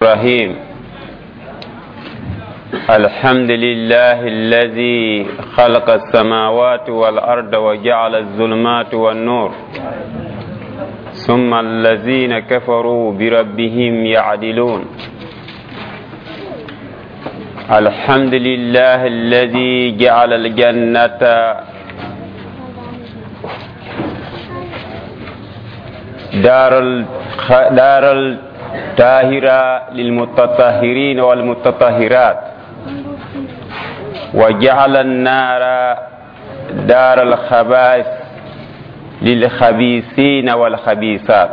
الرحيم. الحمد لله الذي خلق السماوات والأرض وجعل الظلمات والنور، ثم الذين كفروا بربهم يعدلون. الحمد لله الذي جعل الجنة دار الطاهرة للمتطهرين والمتطهرات، وجعل النار دار الخبائث للخبيثين والخبيثات.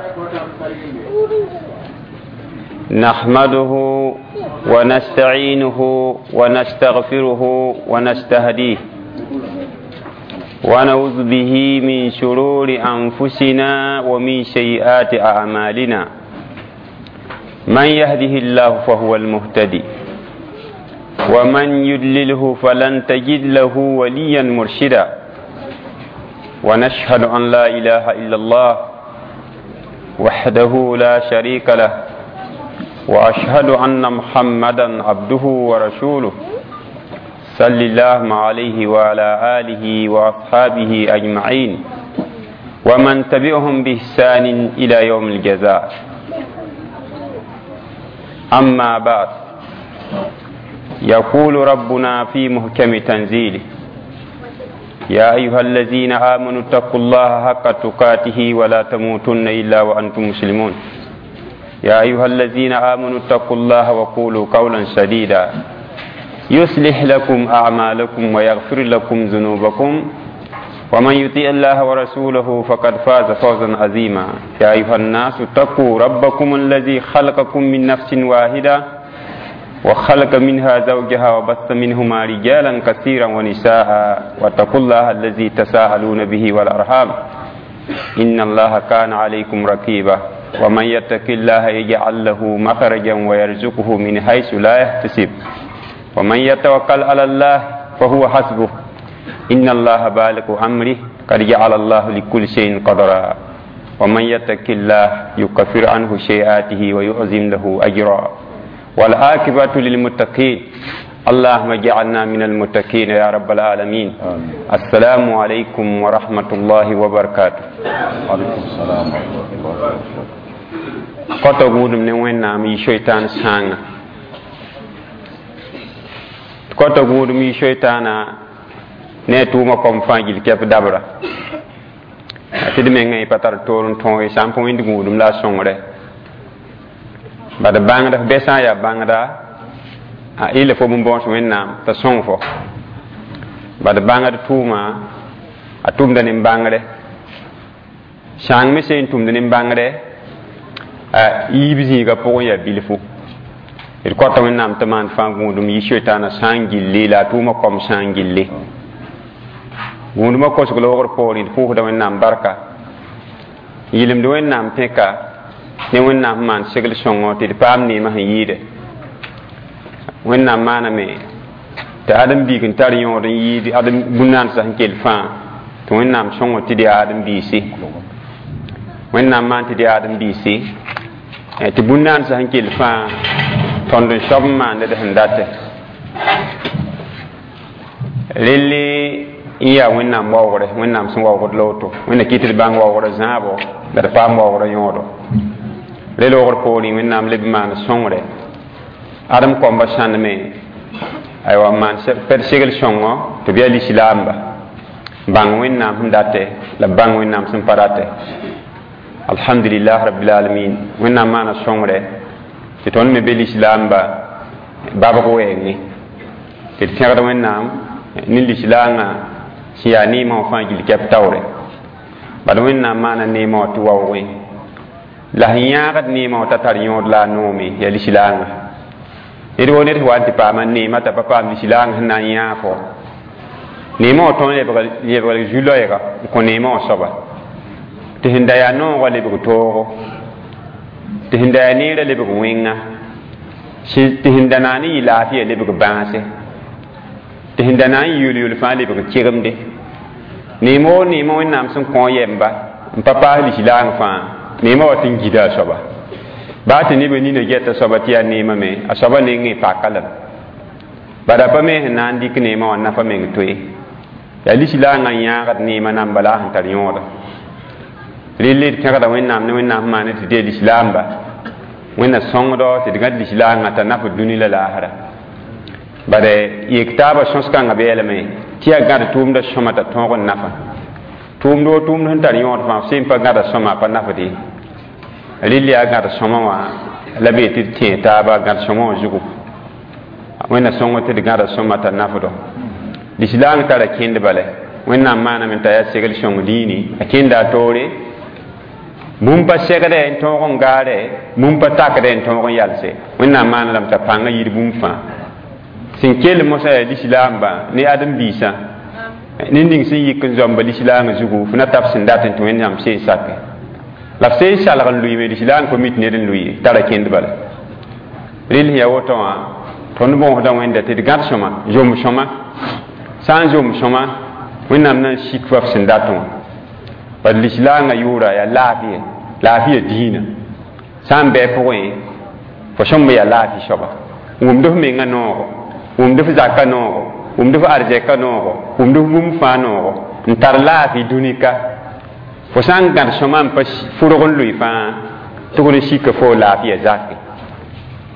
نحمده ونستعينه ونستغفره ونستهديه، ونعوذ به من شرور أنفسنا ومن سيئات أعمالنا. من يهده الله فهو المهتدي، ومن يضلله فلن تجد له وليا مرشدا. ونشهد أن لا إله إلا الله وحده لا شريك له، وأشهد أن محمدا عبده ورسوله، صلى الله عليه وعلى آله وأصحابه أجمعين ومن تبعهم بإحسان إلى يوم الجزاء. أما بعد، يقول ربنا في محكم تنزيله: يا أيها الذين آمنوا اتقوا الله حق تقاته ولا تموتن إلا وأنتم مسلمون. يا أيها الذين آمنوا اتقوا الله وقولوا قولا سديدا يصلح لكم أعمالكم ويغفر لكم ذنوبكم، ومن يطيع الله ورسوله فقد فاز فوزا عظيما. يا أيها الناس اتقوا ربكم الذي خلقكم من نفس واحدة وخلق منها زوجها وبث منهما رجالا كثيرا ونساء، واتقوا الله الذي تساءلون به والأرحام إن الله كان عليكم رقيبا. ومن يتق الله يجعل له مخرجا ويرزقه من حيث لا يحتسب، ومن يتوكل على الله فهو حسبه، إن الله بالغ أمره قد جعل الله لكل شيء قدرا. ومن يتق الله يكفر عنه سيئاته ويعظم له أجرا، والعاقبة للمتقين. اللهم اجعلنا من المتقين يا رب العالمين. آمين. السلام عليكم ورحمة الله وبركاته. وعليكم السلام ورحمة الله وبركاته. Kɔtɔ gũudum ne Wẽnnaam yi soitaan sãanga. Kɔtɔ gũudum yi soitaana ne a tʋʋmã kom fãa gill kɛp dabra. Tɩ d mengã y pa tar toor n tõog ye, sã n pa wẽnd gũudum la a sõngre. Bad bãngd, f bɛ sã n yaa bãngda, a ɩla fo bõn-bõos Wẽnnaam t'a sõng fo. Bad bãngd tʋʋma, a tʋmda nin-bãngre. Sãng me sẽn tʋmd nin-bãngre, a yiib zĩigã pʋgẽ yaa bilfu. D kõta Wẽnnaam tɩ maan fãa gũudum yi soitaanã sã n gilli la a tʋʋmã kom sã n gilli. Gũudumã kosg loogr poorẽ d pʋʋsda Wẽnnaam barka. Yɩlemd Wẽnnaam pẽka ne Wẽnnaam sẽn maan segl sõngo tɩ d paam neemã sẽn yɩɩde. Wẽnnaam maaname tɩ ãdem-biig n tar yõod n yɩɩd ãdem bũn-naansã sẽn kell fãa tɩ Wẽnnaam sõngo tɩ d yaa ãdem-biisi. Wẽnnaam maan tɩ d yaa ãdem-biisi, tɩ bũn-naansã sẽn kell fãa tõnd n soab n maand d sẽn date. Relle n yaa Wẽnnaam waoogre, Wẽnnaam sẽn waoogd la woto. Wẽnna kɩt tɩ d bãng waoogrã zãabo la d paam waoogrã yõodo. Re loogr poorẽ Wẽnnaam leb n maan sõngre. Adem kombã sãneme, aywa, n maan pɛd segl sõngo tɩ b yaa lislaamba. Bãng Wẽnnaam sẽn date la bãng Wẽnnaam sẽn pa date. Alhamdulillah rabbil alamin. Wẽnnaam maana sõngre tɩ tõnd me be lislaamba babg wɛɛngẽ. Tɩ d pẽgd Wẽnnaam ne lislaangã sẽn yaa neemã wã fãa gill kɛp taoore. Bad Wẽnnaam maana neemã wã tɩ waoogẽ. La sẽn yãagd neemã wã t'a tar yõod la a noome yaa lislaangã. Ned woo ned sẽn wa n tɩ paama neemã t'a pa paam lislaangã sẽn na n yãag fo. Neemã wã tõnd lebg zu-loɛɛga n kõ neemã wã soaba. Tɩ sẽn da yaa noogã lebg toogo, tɩ sẽn da yaa neerã lebg wẽnga, tɩ sẽn da na n yɩ laafɩya lebg bãase, tɩ sẽn da na n yɩ yol-yol fãa lebg kegemde. Neemã woo neemã Wẽnnaam sẽn kõ yɛmba n pa paas lislaang fãa, neemã wa tɩ n gida a soaba. Baa tɩ nebã nina gɛta soaba tɩ yaa neemã me a soaba nengẽ paka lame bala pa me sẽn na n dɩk neemã wã nafa meng toe yaa lislaangã n yãagd neemã namba la a sẽn tar yõoda relle d pẽgda Wẽnnaam ne Wẽnnaam sẽn maane tɩ dee lislaamba Wẽnna sõngdo tɩ d gãd lislaangã t'a nafd dũni la laasra bare yek taabã sõs-kãngã beelame tɩ yaa gãd tʋʋmdã sõma t'a tõog n nafa tʋʋmd wo tʋʋmd sẽn tar yõod fãa f sẽn pa gãda sõma pa nafd ye rɩl yaa gãd sõma wã la bee tɩ d tẽe taaba gãd sõma wã zugu Wẽnna sõng tɩ d gãda sõma t'a nafdo lislaang tara kẽnd bala Wẽnnaam maaname t'a yaa segl sõng diini a kẽnda a toore bũmb pa segdɛ n tõog n gaarɛ bũmb pa takdɛ n tõog n yalse Wẽnnaam maana lame t'a pãngã yir bũmb fãa sẽn kell mosã yaa lislaambã ne ãdem-biisã ned ning sẽn yik n zoamba lislaangã zugu f na tab sẽn dat n tɩ Wẽnnaam seen sake la f seen salg n lʋɩɩme lislaang pa mit ned n lʋɩ tara kẽnd bala rɩl sẽn yaa woto wã tõnd bõosda Wẽnda tɩ d gãd sõma zom sõma sã n zom sõma Wẽnnaam na n sik fa f sẽn dat wã bad lislaangã yʋʋra yaa laafɩya laafɩya diinã sã n bɩ pʋgẽ fo sõmb yaa laafɩ soaba wʋmd f mengã noogo wʋmd f zakã noogo wʋmd f arzɛka noogo wʋmd f bũmb fãa noogo n tar laafɩ dũni-ka fo sã n gãd sõma n pa fʋrg n lʋɩ fãa tʋgd n sika fo laafɩya zake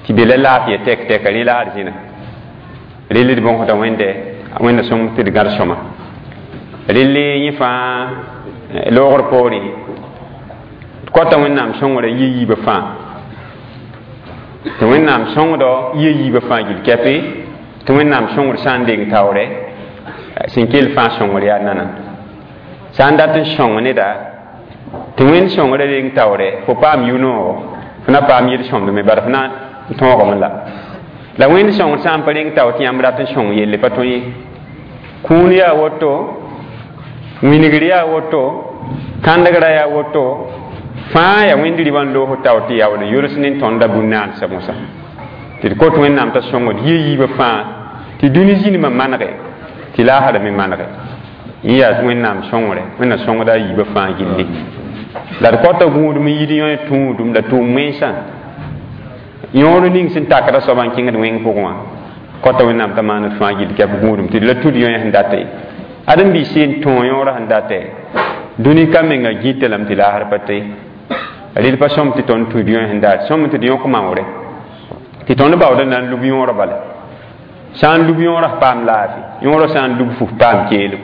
tɩ be la laafɩya tɛk tɛka rẽ la arzẽna rel d bõsda Wẽnde Wẽnna sõng tɩ d gãd sõma relle yẽ fãa loogr poorẽ d kota Wẽnnaam sõngrã yɩ yiibã fãa tɩ Wẽnnaam sõngdɔ yɩ yiibã fãa gill kɛpɩ tɩ Wẽnnaam sõngr sã n deng taoorɛ sẽn kell fãa sõngr yaa nana sã n dat n sõng neda tɩ Wẽnd sõngrã reng taoorɛ fo paam yʋ-noogo fo na paam yel-sõmdme bara fo na n tõogame la la Wẽnd sõngr sã n pa reng tao tɩ yãmb rat n sõng yelle pa tõe ye kũun yaa woto wingr yaa woto kãndgrã yaa woto fãa yaa Wẽnd ribã n loos tao tɩ yaool n yols ne tõndã bũn-naansã mosã tɩ d kot Wẽnnaam t'a sõngd yɩ yiibã fãa tɩ dũni zĩnimã manege tɩ laasra me manege yẽ yaa Wẽnnaam sõngre Wẽnna sõngda a yiibã fãa gilli la d kota gũudum n yid yõ tũudum la tʋʋm wẽnsã yõor ning sẽn takda soaba n kẽngd wẽng pʋgẽ wã kota Wẽnnaam t'a maan d fãa gill kɛp gũudum tɩ d la tud yõ sẽn data ye ãdem-biis seen tõog yõorã sẽn data dũni ka menga gĩta lame tɩ laasr pa tɩ rɩl pa sõm tɩ tõnd tud yõ sẽn dat sõm tɩ d yõk maoore tɩ tõnd baooda na n lub yõorã bala sã n lub yõorã f paam laafɩ yõorã sã n lub fu f paam keelem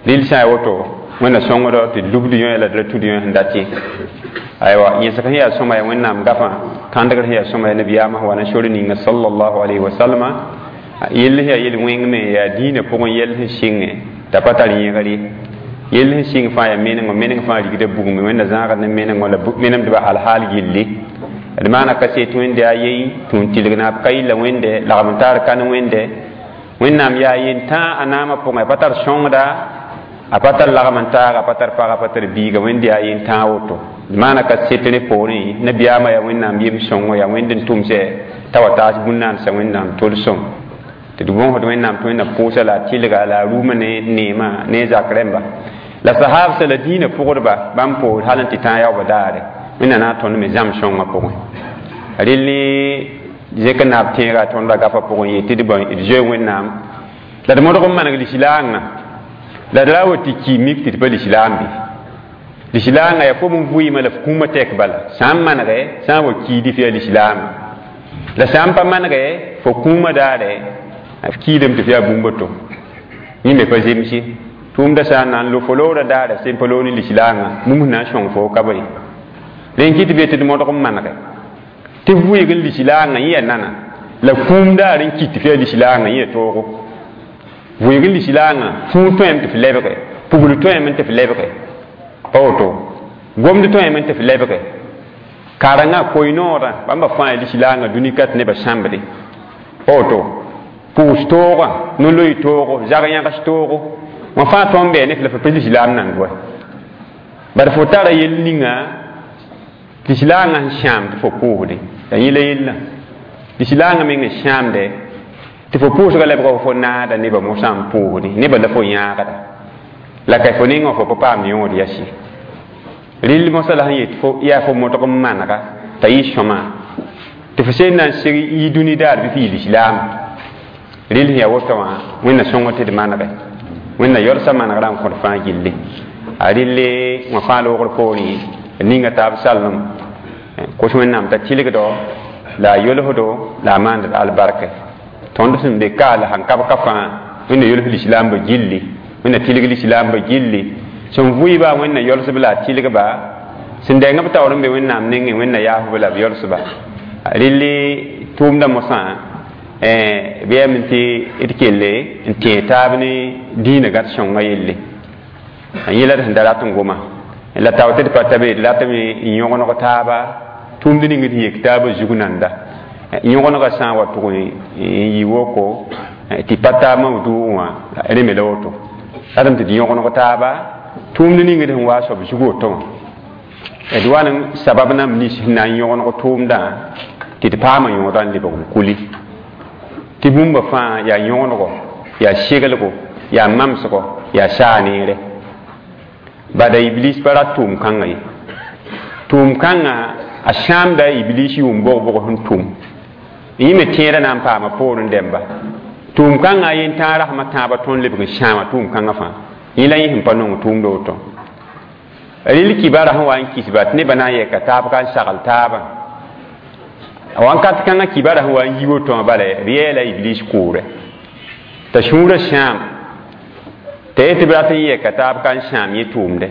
rɩl sã n ya woto Wẽnna sõngdo tɩ d lubd yõ la d ra tud yõ sẽn dat ye aywa yẽsg sẽn yaa sõma yaa Wẽnnaam gafã kãndgr sẽn yaa sõma yaa nabiyaamã wa na sor ninga sallallahu alayhi wa sallama yell sẽn yaa yel-wẽng me yaa diinã pʋgẽ yell sẽn sɩngẽ t'a pa tar yẽgr ye yell sẽn sɩng fãa yaa menengo meneng fãa rigda bugme Wẽnna zãagd ne menengo la menemdbã alhaal gilli d maana kaset Wẽnde a yei tũ n tɩlg naab ka yilla Wẽnde lagm n taar kan Wẽnde Wẽnnaam yaa yentã a naamã pʋgẽ a pa tar sõngda a pa tar lagm n taag a pa tar pag a pa tar biiga Wẽnde yaa yentã woto d maana kaset rẽ poorẽ nabiyaamã yaa Wẽnnaam yem sõngo yaa Wẽnd n tʋmsɛ t'a wa taas bũn-naansã Wẽnnaam tol-sõm tɩ d bõsd Wẽnnaam tɩ Wẽnnaam pʋʋsa la a tɩlga la a rʋʋmã ne neemã ne zak rẽmba la sahaabsã la diinã pʋgdba bãmb poor hal n tɩ tãag yaoobã daare Wẽnna na n tõnd me zãm sõngã pʋgẽ rel ne zẽk n naab tẽegã tõndã gafã pʋgẽ yee tɩ d zoe Wẽnnaam la d modg n maneg lislaangã la d ra wa tɩ ki mik tɩ d pa lislaam bɩ lislaangã yaa fo n vɩɩmã la f kũumã tɛk bala sã n manegɛ sã n wa kiidi f yaa lislaama la sã n pa manegɛ fo kũumã daare f kiidame tɩ f yaa bũmb to yẽ me pa zemse tʋʋmdã sã n na n lo fo loorã daare sẽn pa loog ne lislaangã bũmb sẽn na n sõng fo ka ba ye rẽn kɩ tɩ be tɩ d modg n manege tɩ vɩɩg n lislaangã yẽ yaa nana la kũum daar n kit tɩ f yaa lislaangã yẽ yaa toogo vɩɩg n lislaangã fũu tõeme tɩ f lebge pugl tõeme tɩ f lebge pa woto gomd tõeme tɩ f lebge karengã koy-noodã bãmba fãa yaa lislaangã dũni ka tɩ nebã sãmbde pa woto pʋʋs toogã no-loy toogo zag-yãgs toogo wã fãa tõnd bɩ ne f la f pa lislaam nand wa bad fo tara yell ninga lislaangã sẽn sãam tɩ fo pʋʋsde la yẽ la yellã lislaangã meng n sãamde tɩ fo pʋʋsga lebga fo naada nebã mosã n pʋʋsde nebã la fo yãagda la ka fo nengã fo pa paamd yõod yasi rɩl mosã la sẽn yet fo yaa fo modg n manega t'a yɩ sõma tɩ fo sẽn na n sig yi dũni daar bɩ f yɩ lislaam rɩl sẽn yaa woto wã wẽnna sõng tɩ d manege wẽnna yɔlsa manegrã n kõt fãa gilli a rɩlle wã fãa loogr poorẽ ninga taab salem kos wẽnnaam t'a tɩlgdo la a yolsdo la a maand albarka tõnd sẽn be ka la sãn kab ka fãa wẽnna yols lislaambã gilli wẽnna tɩlg lislaambã gilli sẽn vʋɩba wẽnna yolsb la a tɩlgba sẽn dɛng b taoor n be wẽnnaam nengẽ wẽnna yaasb la b yolsba rɩlle tʋʋmdã mosã bɩ yame tɩ d kelle n tẽeg taab ne dĩinã gãd sõngã yelle n yẽla d sẽn da rat n goma la tao tɩ d pa ta be d ratame n yõgeneg taaba tʋʋmd ning d yek taabã zug nanda yõgenegã sã n wa tʋg n yɩ woko tɩ pa taab mam dʋʋg wã rẽ me la woto ratame tɩ d yõgeneg taaba tʋʋmd ning d sẽn waa soab zug woto wã d wa n sabab nãmb nins sẽn na n yõgeneg tʋʋmdã tɩ d paama yõodã n lebg n kuli tɩ bũmba fãa yaa yõgenego yaa seglgo yaa mamsgo yaa saa neere bada iblis pa rat tʋʋm-kãngã ye tʋʋm-kãngã a sãamda iblis yʋʋm bog-bog sẽn tʋm yẽ me tẽedã na n paama poorẽ dẽmba tʋʋm-kãngã a yen-tãag rasmã tãabã tõnd lebg n sãama tʋʋm-kãngã fãa yẽ la yẽ sẽn pa nong tʋʋmdã woto rɩl kibara sẽn wa n kisba tɩ nebã na n yɛka taab ka n sagl taabã wãnkat kãngã kibara sẽn wa n yi woto wã bala b yɛɛla iblis koorɛ t'a sũurã sãam t'a yetɩ b rat n yɛka taab ka n sãam yẽ tʋʋmdɛ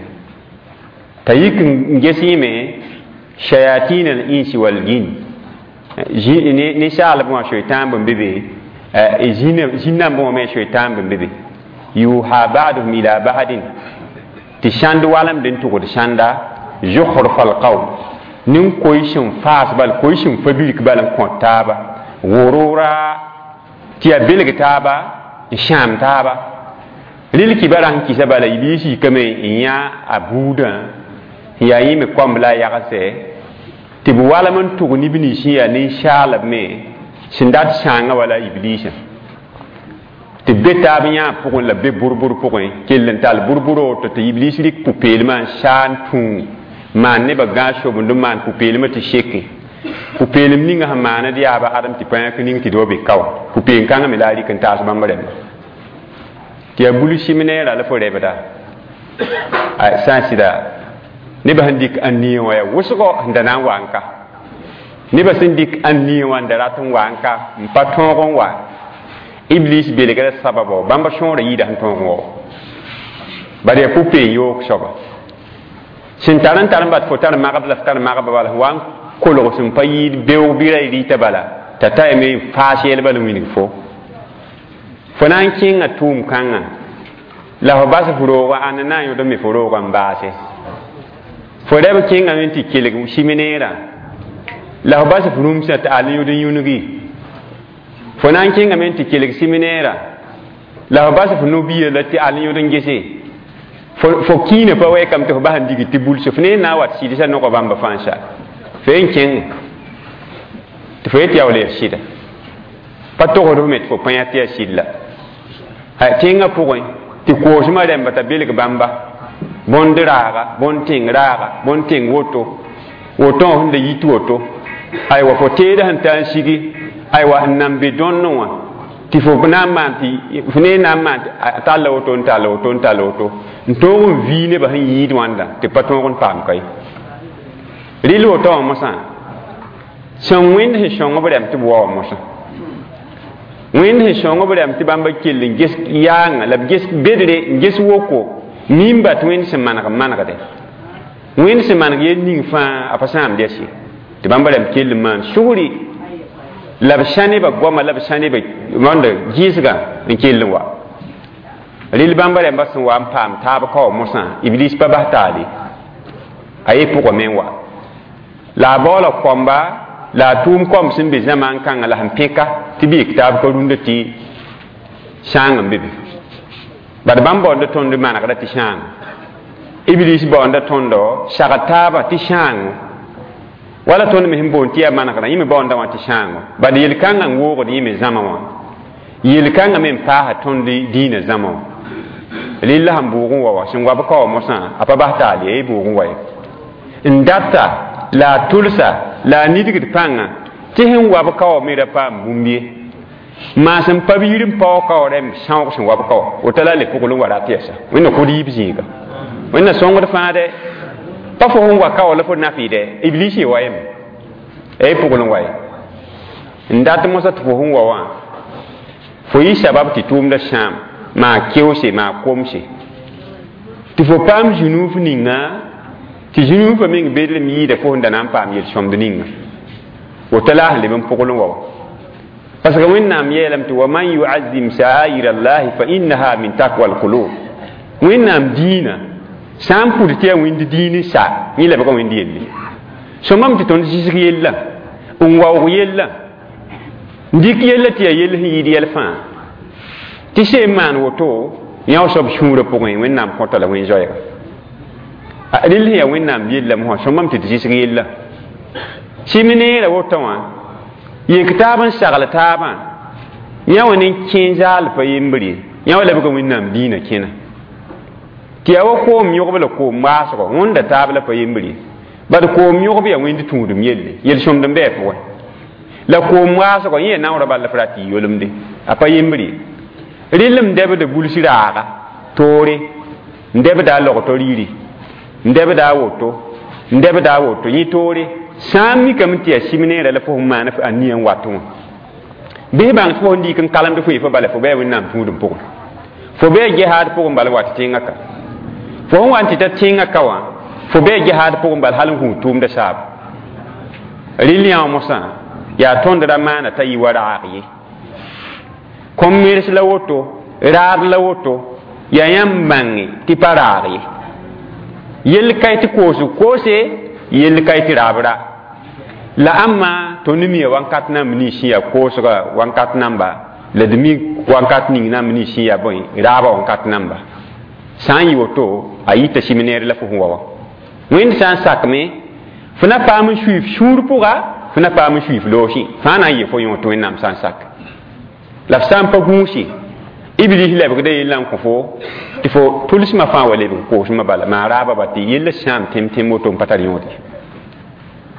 t'a yik n ges yẽme shayatin al insi wal jin ninsaalb wã soetãan bõn be be zĩn-nambã wã me soetãan bõn be be yuha ba'duhum ila ba'din tɩ sãnd walemd n tʋgd sãnda zukhruf alqawl nin-koy sẽn faas bal koy sẽn fa birk bal n kõt taaba gʋrʋra tɩ yaa belg taaba n sãam taaba rɩl kibara sẽn kɩsa bala iblis yikame n yã a buudã n yaa yẽ me koamb la a yagsɛ tɩ b walem n tʋg neb nins sẽn yaa ninsaalb me sẽn dat sãangã wala iblisã tɩ b be taab yãa pʋgẽ la b be bʋr-bʋr pʋgẽ kell n tall bʋr-bʋr woto tɩ iblis rɩk pʋ-peelmã n saa n tũu maan nebã gãag sobend n maan pʋ-peelmã tɩ seke pʋ-peelem ninga sẽn maaned yaaba adem tɩ pa yãk ning tɩ d wa be ka wã pʋ-peem-kãngã me la a rɩk n taas bãmb rẽmba tɩ yaa bul sɩm-neerã la fo rɛbda sã n sɩda nebã sẽn dɩk ãn-niẽ wã yaa wʋsgo sẽn da na n wa n ka nebã sẽn dɩk ãn-niẽ wã n da rat n wa n ka n pa tõog n wa iblis belgra sababo bãmba sõora yɩɩda sẽn tõog n wa bala yaa pʋ-peem yoog soaba sẽn tar n tar n bat fo tar magb la f tar magba bala wa n kolg sẽn pa yɩɩd beoog bɩ ra y rɩta bala t'a ta yame n faas yɛl bala n wilg fo fo na n kẽnga tʋʋm-kãngã la fo bas f roogã ãnna na n yõd n me fo roogã n baase fo rɛb kẽngame tɩ kelg sɩm-neerã la fo bas f rũmsã tɩ al n yõd n yũngi fo na n kẽngame tɩ kelg sɩm-neerã la fo bas f no-biya la tɩ al n yõd n gese fo kiinã pa wɛɛkame tɩ fo bas n dig tɩ bulse f ne na n wat sɩdsa nogã bãmba fãa sa fo n kẽng tɩ fo yet yaa wala yaa sɩda pa togsd f me tɩ fo pã tɩ yaa sɩd la tẽngã pʋgẽ tɩ koosmã rẽmba t'a belg bãmba bõnd raaga bõnd tẽng raaga bõnd tẽng woto woto wã sẽn da yit woto aywa fo teedã sẽn ta n sigi aywa n nan be dõnnẽ wã tɩ fo na n maan tɩ fo ne na n maan tɩ a talla woto n talla woto n talla woto n tõog n vii nebã sẽn yɩɩd wãnda tɩ pa tõog n paam ka ye rɩl woto wã mosã sẽn wẽnd sẽn sõng b rɛm tɩ b wa wã mosã wẽnd sẽn sõng b rɛm tɩ bãmba kell n ges yaanga la b ges bedre n ges woko mimba tɩ wẽnd sẽn maneg n manegde wẽnd sẽn maneg yel ning fãa a pa sãamd yaa tɩ bãmba rɛm kell n maan sugri la b sã nebã goama la b sã nebã wãnda gɩɩsgã n kell n wa rɩl bãmba rẽmba sẽn wa n paam taab ka wa mosã iblis pa bas taale a ye pʋgã me n wa la a baoola koamba la a tʋʋm koam sẽn be zãmaan kãngã la sẽn pẽka tɩ b yik taab ka rũndã tɩ sãang n be be bad bãmb baoonda tõnd manegrã tɩ sãang iblis baoonda tõndo sagd taabã tɩ sãango wala tõnd me sẽn boond tɩ yaa manegrã yẽ me baoonda wã tɩ sãango bad yel-kãngã n woogd yẽ me zãma wã yel-kãngã me n paasa tõnd dĩinã zãma wã rɩlla sẽn bʋʋg n wa wã sẽn wa b ka wa mosã a pa bas taal yaa bʋʋg n wa ye n data la a tʋlsa La a nidgd pãnga tɩ sẽn wab kao me ra paam bũmb ye maasem pa yir n paoog kao rẽmb sãoog sẽn wab kao woto la a le pʋgl n wa rat yɛsa wẽnna kod yiib zĩiga wẽnna sõngd fãa dɛ pa fo sẽn wa kao la fo nafɩɩdɛ iblis ye wa yeme y pʋgl n wa ye n dat mosã tɩ fo sẽn wa wã fo yɩ sabab tɩ tʋʋmda sãam maa keoose maa komse tɩ fo paam zũnuuf ninga tɩ zũnuufã meng bedlem yɩɩda fo sẽn da na n paam yel-sõmd ninga woto la a sẽn leb n pʋgl n wa wa parce que wẽnnaam yeelame tɩ wa man yuazim sha'air allahi fa innaha min takwa alqulub wẽnnaam diinã sã n pʋd tɩ yaa wẽnd diin n sa yẽ lebga wẽnd yelle sõmame tɩ tõnd zisg yella n waoog yella n dɩk yella tɩ yaa yell sẽn yɩɩd yɛl fãa tɩ seem maan woto yã soab sũurã pʋgẽ wẽnnaam kõta la wẽn-zoɛɛga rel sẽn yaa wẽnnaam yella mosã sõmame tɩ d zisg yella sɩm neerã woto wã yek taab n sagl taabã yã wã ne kẽ zaal pa yembre ye yã wa lebga wẽnnaam diinã kẽna tɩ yaa wa koom yõgb la koom maasgo wẽnda taab la pa yembre ye bad koom yõgb yaa wẽnd tũudum yelle yel-sõmd n bɩ a pʋgẽ la koom maasgo yẽ yaa naoorã bal la f rat tɩ yolemde a pa yembre ye rɩl n dɛbda buls raaga toore n dɛbda a logto riiri n dɛbda a woto n dɛbda a woto yẽ toore sã n mikame tɩ yaa sɩm neerã la fo sẽn maan a nia n wat wã bɩs bãng tɩ fo sẽn dɩk n kalemd fo fo bala fo bɩa wẽnnaam tũudum pʋgẽ fo bɩa gehaad pʋgẽ bala wat tẽngã ka fo sẽn wa n tɩ ta tẽngã ka wã fo bɩa gehaad pʋgẽ bala hal n gũud tʋʋmda saaba rɩl yã wã mosã yaa tõnd ra maana t'a yɩ wa raag ye kom-mers la woto raad la woto yaa yãmb bãnge tɩ pa raag ye yell ka tɩ koosg koose yell ka tɩ raab ra la ãmma tõnd mia wãnkat namb nins sẽn yaa koosga wãnkat namba la d mi wãnkat ning namb nins sẽn yaa bõe raabã wãnkat namba sã n yɩ woto a yita sɩm neer la fo sẽn wa wã wẽnd sã n sakme fo na paam n suif sũur pʋga fo na paam n suif loosẽ fãa na n yɩ fo yõ tɩ wẽnnaam sã n sak la f sã n pa gũusi iblis lebgda yella n kõ fo tɩ fo tʋlsmã fãa wa lebg koosmã bala maa raabã ba tɩ yella sãam tẽm-tẽm woto n pa tar yõod ye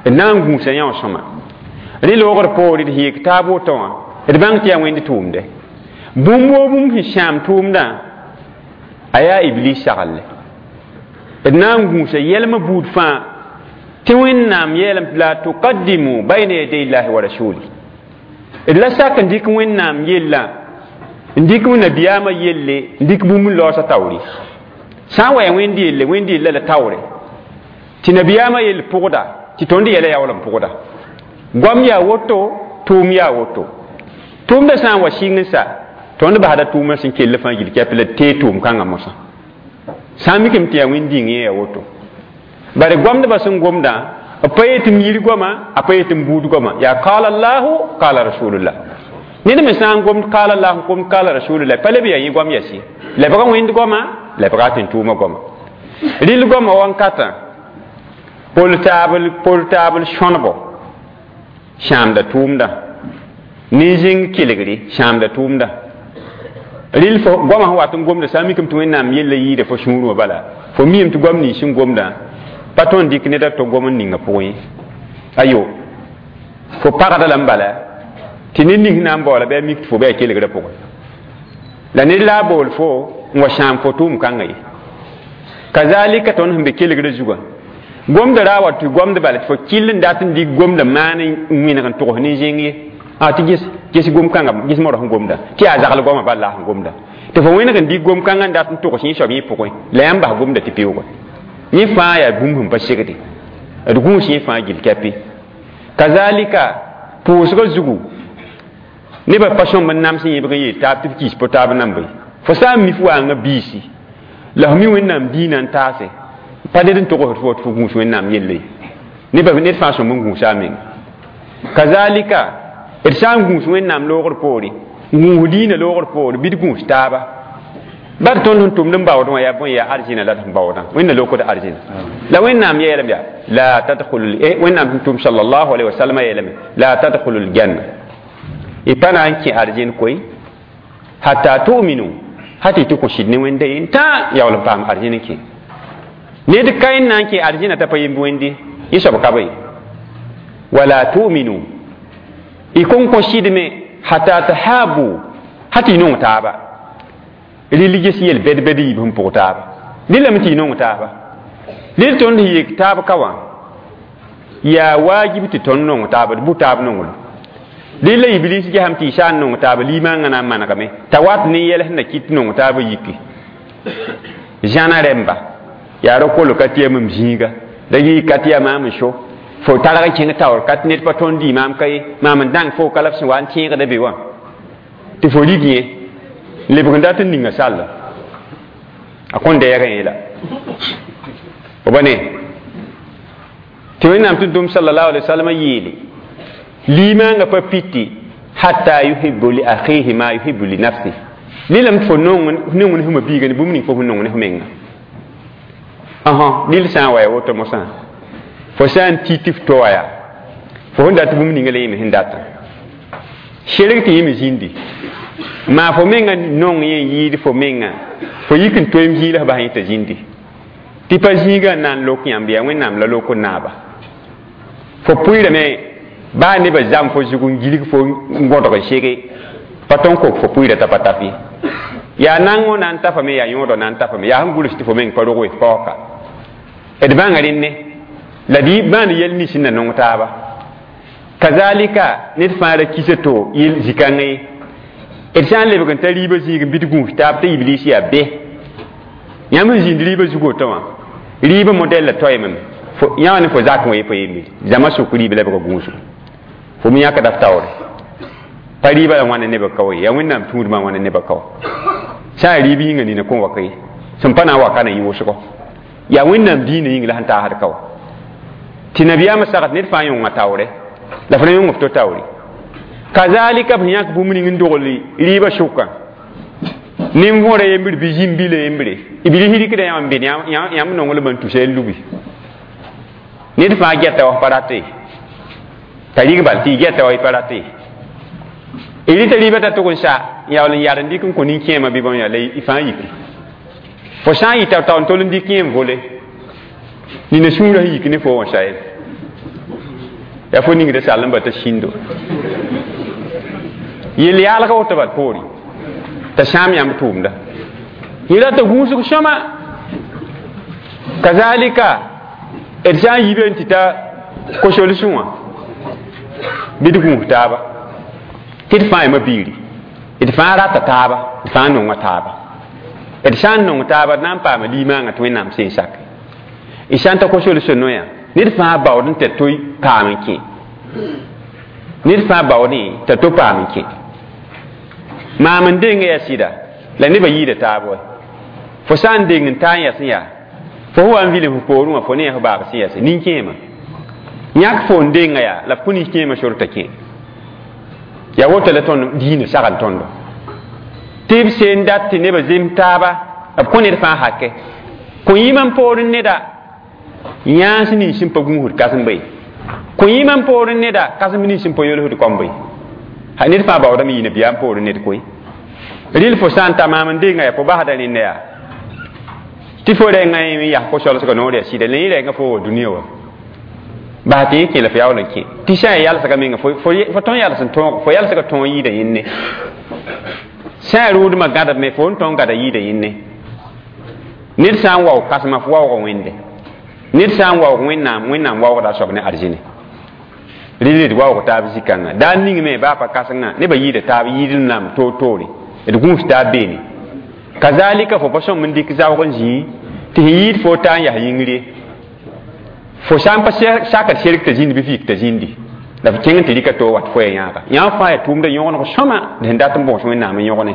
d na n gũusa yã wã sõma rẽ loogr poore d yek taab woto wã d bãng tɩ yaa wẽnd tʋʋmde bũmb woo bũmb sẽn sãam tʋʋmdã a yaa iblis saglle d na n gũusa yɛlmã buud fãa tɩ wẽnnaam yeelame tɩ la tuqaddimu bayna yaday llahi wa rasuli d la sak n dɩk wẽnnaam yella n dɩk nabiyaamã yelle n dɩk bũmb n laoosã taoore sã n wa yaa wẽnd yelle wẽnd yella la taoore tɩ nabiyaamã yell pʋgda tɩ tõnd yɛla yaool n pʋgda goam yaa woto tʋʋm yaa woto tʋʋmdã sã n wa sɩng n sa tõnd basda tʋʋmã sẽn kell fãa gill kɛp la tee tʋʋm kãngã mosã sã n mikame tɩ yaa wẽnd dĩng yẽ yaa woto bare goamdbã sẽn gomdã b pa yet m yir goama a pa yet m buud goama yaa qala allahu qala rasulullah ned me sã n gomd qala allahu gomd qala rasulullah pa leb yaa yẽ goam yɛs ye lebga wẽnd goama lebga tɩ n tʋʋmã goama rɩl goama wãnkatã pol taabl sõnebo sãamda tʋʋmdã nin-zĩng kelgre sãamda tʋʋmda rɩl fo goamã sẽn wat n gomda sã n mikame tɩ wẽnnaam yella yɩɩda fo sũurẽ wã bala fo miime tɩ goam nins sẽn gomdã pa tõnd dɩk ned a to gom n ninga pʋgẽ ye ayo fo pagda la n bala tɩ ned ning na n baoola bɩ a mik tɩ fo bɩ a kelgrã pʋgẽ la ned la a bool fo n wa sãam fo tʋʋm kãngã ye kazalika tõnd sẽn be kelgrã zugã gomda ra wa tɩ gomd bala tɩ fo kell n dat n dɩk gomda maan n wẽneg n togs nin-zẽng ye a tɩ ges ges gom kãnga ges modg sẽn gomda tɩ yaa zagl goamã bal la sẽn gomda tɩ fo wẽneg n dɩk gom kãngã n dat n togs yẽ soab yẽ pʋgẽ la yãmb bas gomda tɩ peoogẽ yẽ fãa yaa bũmb sẽn pa segde d gũus yẽ fãa gill kɛpɩ kazalika pʋʋsgã zugu nebã pa sõmb n nams yẽbg n yeel taab tɩ b kiis po taab nambe fo sã n mi f waangã biisi la f mi wẽnnaam diinã n taase pa ned n togsd fo tɩ fo gũus wẽnnaam yelle ye nebã ned fãa sõmb n gũusa a menga kazalika d sã n gũus wẽnnaam loogr poore n gũus diinã loogr poore bɩ d gũus taaba bar tõnd sẽn tʋmd n baood wã yaa bõe yaa arzĩna la d sẽn baoodã wẽnna lokd arzĩna la wẽnnaam yeelame yaa la tadkhulu wẽnnaam sẽn tʋm sallallahu alaihi wasallam yeelame la tadkhulu ljanna y pa na n kẽ arzĩn koe hatta tu'minu hata y tɩ kõ sɩd ne wẽnda ye n tã yaool n paam arzĩn n kẽ ned ka n na n kẽ arzĩna t'a pa yemb wẽnde yẽ soab ka be Wala tu'minu y kõn kõ sɩdme hatta tahabu hata y nong taaba. Religious yel bɛd-bɛd yiib sẽn pʋg taaba rɩlame tɩ y nong taaba. Rɩl tõnd sẽn yek taab ka wã yaa waajib tɩ tõnd nong taaba, d bʋ taab nonglem. Rɩla iblis gesame tɩ y sã n nong taaba limaangã na n manegame t'a wat ne yɛl sẽn na kɩt nong taabã yiki. Zãna rẽmba yaa ra kol ka tɩ yam m zĩiga da yɩ ka tɩ yaa maam n so fo targ kẽng taoor ka tɩ ned pa tõnd dɩ maam ka ye maam n dãng fo ka la b sẽn wa n tẽegda be wã tɩ fo rig yẽ lebg n dat n ninga salla a kõn dɛɛgã yẽla fo ba ne tɩ Wẽnnaam tʋm-tʋm sallallahu alaihi wasallam yeele limaangã pa piti hatta yuhibbu li akhihi ma yuhibbu li nafsihi. Lilame tɩ fo nong ne fo mabiiga ne bũmb ning fo sẽn nong ne fo menga. Ãsã rɩl sã n wa ya woto mosã fo sã n ti tɩ f to wa yaa fo sẽn dat bũmb ninga la yẽme sẽn datã serg tɩ yẽme zĩndi maa fo menga nong yẽ n yɩɩd fo menga fo yik n toeem zĩig la f bas yẽ t'a zĩndi tɩ pa zĩigã n na n lok yãmb yaa Wẽnnaam la lok n naaba fo pʋɩɩrame baa nebã zam fo zug n gilg fo n gõdg n sege pa tõn kok fo pʋɩɩra t'a pa taf ye yaa nangõ na n tafame yaa yõodã na n tafame yaa sẽn guls tɩ fo meng pa rog we paoka d bãnga rẽnne la d maan yɛl nins n na nong taaba. Kazalika ned fãa ra kisa to yel zikãngã ye d sã n lebg n ta rɩɩbã zĩig n bɩ d gũus taab t'a iblis yaa be yãmb n zĩnd rɩɩbã zug woto wã rɩɩbã modɛl la toeemame yã wã ne fo zak wã ye pa yembre zãma sʋk rɩɩb la bga gũusgo fo me yãkda f taoore pa rɩɩbã la wãna nebã ka wa ye yaa Wẽnnaam tũudmã wãna nebã ka wa sã n rɩɩb yĩnga nina kõn wa ka ye sẽn pa na n wa ka na yɩ wʋsgo yaa Wẽnnaam diinã yĩng la sẽn taasd ka wa tɩ nabiyaamã sagd ned fãa yõnga taoore la f ra yõng f to taoore. Kazalika b sẽn yãk bũmb ning n dogl rɩɩbã sʋkã nin-võora yembr bɩ zĩm-bila yembre iblis rɩkda yãmb n be yãmb nonglmã n tusa n lubi ned fãa gɛta wa pa rate ye t'a rɩg bal tɩ y gɛta wa y pa rate ye y rɩta rɩɩbã t'a tʋg n sa n yaool n yar n dɩk n kõ nin-kẽemã bɩ bõn yaa la y fãa yiki fo sã n yɩta tao n tol n dɩk yẽ n vole nina sũurã sẽn yik ne fo wã sa ye yaa fo ningda sall n ba t'a sĩndo yel yaalga woto bal poore t'a sãam yãmb tʋʋmda yẽ rata gũusg sõma. Kazalika d sã n yibe n tɩ ta kosolsẽ wã bɩ d gũus taaba tɩ d fãa yama biiri d fãa rata taaba d fãa nonga taaba d sã n nong taaba d na n paama limaangã tɩ Wẽnnaam sẽn sak y sã n ta kosolsẽ noyã ned fãa baood n t'a to paam n kẽ ned fãa baoodẽ t'a to paam n kẽ maam n denga yaa sɩda la nebã yɩɩda taab wa fo sã n deng n taa n yas n yaa fo sẽn wa n vilem fo poorẽ wã fo ne yaa fo baab sẽn yase nin-kẽemã yãk fo n denga yaa la f kõ nin-kẽemã sor t'a kẽ yaa woto la tõnd diinã sagl tõndo tɩ b seen dat tɩ nebã zem taaba b kõ ned fãa hakɛ kõ yĩmã n poorẽ neda yãans nins sẽn pa gũusd kãsem be kõ yĩmã n poorẽ neda kãsem nins sẽn pa yolsd kõm be ned fãa baoodame yɩ nabiyaam poorẽ ned koe rɩl fo sã n ta maam n denga yaa fo basda rẽnda yaa tɩ fo rẽngã n yas ko-solsgã noor yaa sɩda la yẽ rẽngã fo wa dũniyã wa bas tɩ yẽ kẽ la fo yaool n kẽ tɩ sã n yalsga menga fo tõn yals n tõog fo yalsga tõog yɩɩda yẽnne sã n rʋʋdmã gãdame fo n tõn gãda yɩɩda yẽnne ned sã n waoog kãsema fo waoogã wẽnde ned sã n waoog Wẽnnaam Wẽnnaam waoogda a soab ne arzẽne rɩl d waoog taab zĩ-kãngã daa ning me baa pa kãsengã nebã yɩɩda taab yɩɩd nam toor-toore d gũus taab beene kazalika fo pa sõm n dɩk zaoog n zĩi tɩ sẽn yɩɩd fo taa n yas yĩngr ye fo sã n pa sakd serg t'a zĩnd bɩ f yik t'a zĩndi la f kẽng tɩ rɩka to wat fo ya yãaga yãmb fãa yaa tʋʋmda yõgeneg sõma d sẽn dat n bõos Wẽnnaam n yõgne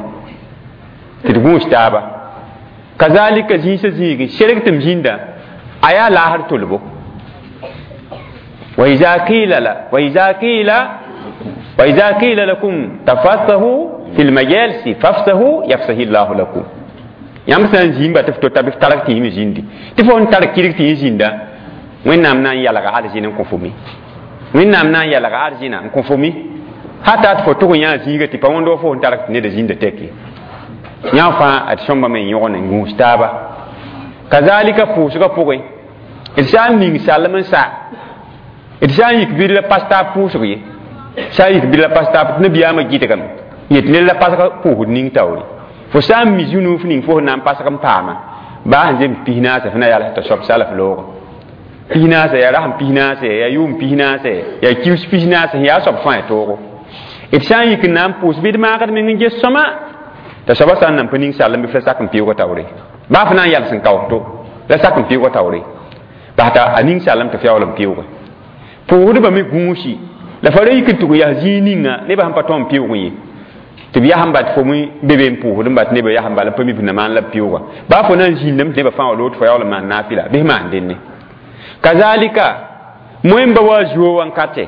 tɩ d gũus taaba kazalika zĩisã zĩigi serg tɩ m zĩnda a yaa laasr tolbo وإذا قيل لكم تفسحوا في المجالس فافسحوا يفسح الله لكم yãmb sã n zĩimba tɩ f to t'a bɩ f targ tɩ yĩm zĩndi tɩ fo n tar kirg tɩ yẽ zĩnda Wẽnnaam na n yalga arzɩn n kõ fo mi Wẽnnaam na n yalga arzɩna n kõ fo mi hata tɩ fo tʋg n yã zĩiga tɩ pa wõnd wa fo n targ tɩ neda zĩnda tɛke yã fãa d sõmbame n yõgen n gũus taaba kazalika pʋʋsgã pʋgẽ d sã n ning salem n sa D sã n yik bɩ la pas taab pʋʋsg ye, sã n yik bɩ la pas taab tɩ nabiyaamã gɩdgame yet ned la pasg pʋʋsd ning taoore. Fo sã n mi zũ-nuuf ning fo sẽn na n pasg n paama, baa sẽn zems 40 f na yals t'a soab sala f looga 40, yaa rasem 40, yaa yʋʋm 40, yaa kius 40 sẽn yaa soab fãa toogo. D sã n yik n na n pʋʋs bɩ d maagd meng n ges sõma t'a soabã sã n nan pa ning sall n bɩ f la sak n pɩʋʋga taoore, baa fo na n yals n kaoos to la sak n pɩʋʋga taoore, bas t'a a ning sallem tɩ f yaool n pɩʋʋge. Pʋʋsdbã me gũusi la fa ra yik n tʋg n yas zĩig ninga nebã sẽn pa tõe n pɩʋʋg ye, tɩ b yas n bat fo me be be n pʋʋsd n bat nebã yas n bala n pa mi f na maan la b pɩʋʋga, baa fo na n zĩndame tɩ nebã fãa wa loog tɩ fo yaool n maan naafɩla bɩ f maan dẽnne. Kazalika moẽmba wa zuo wankate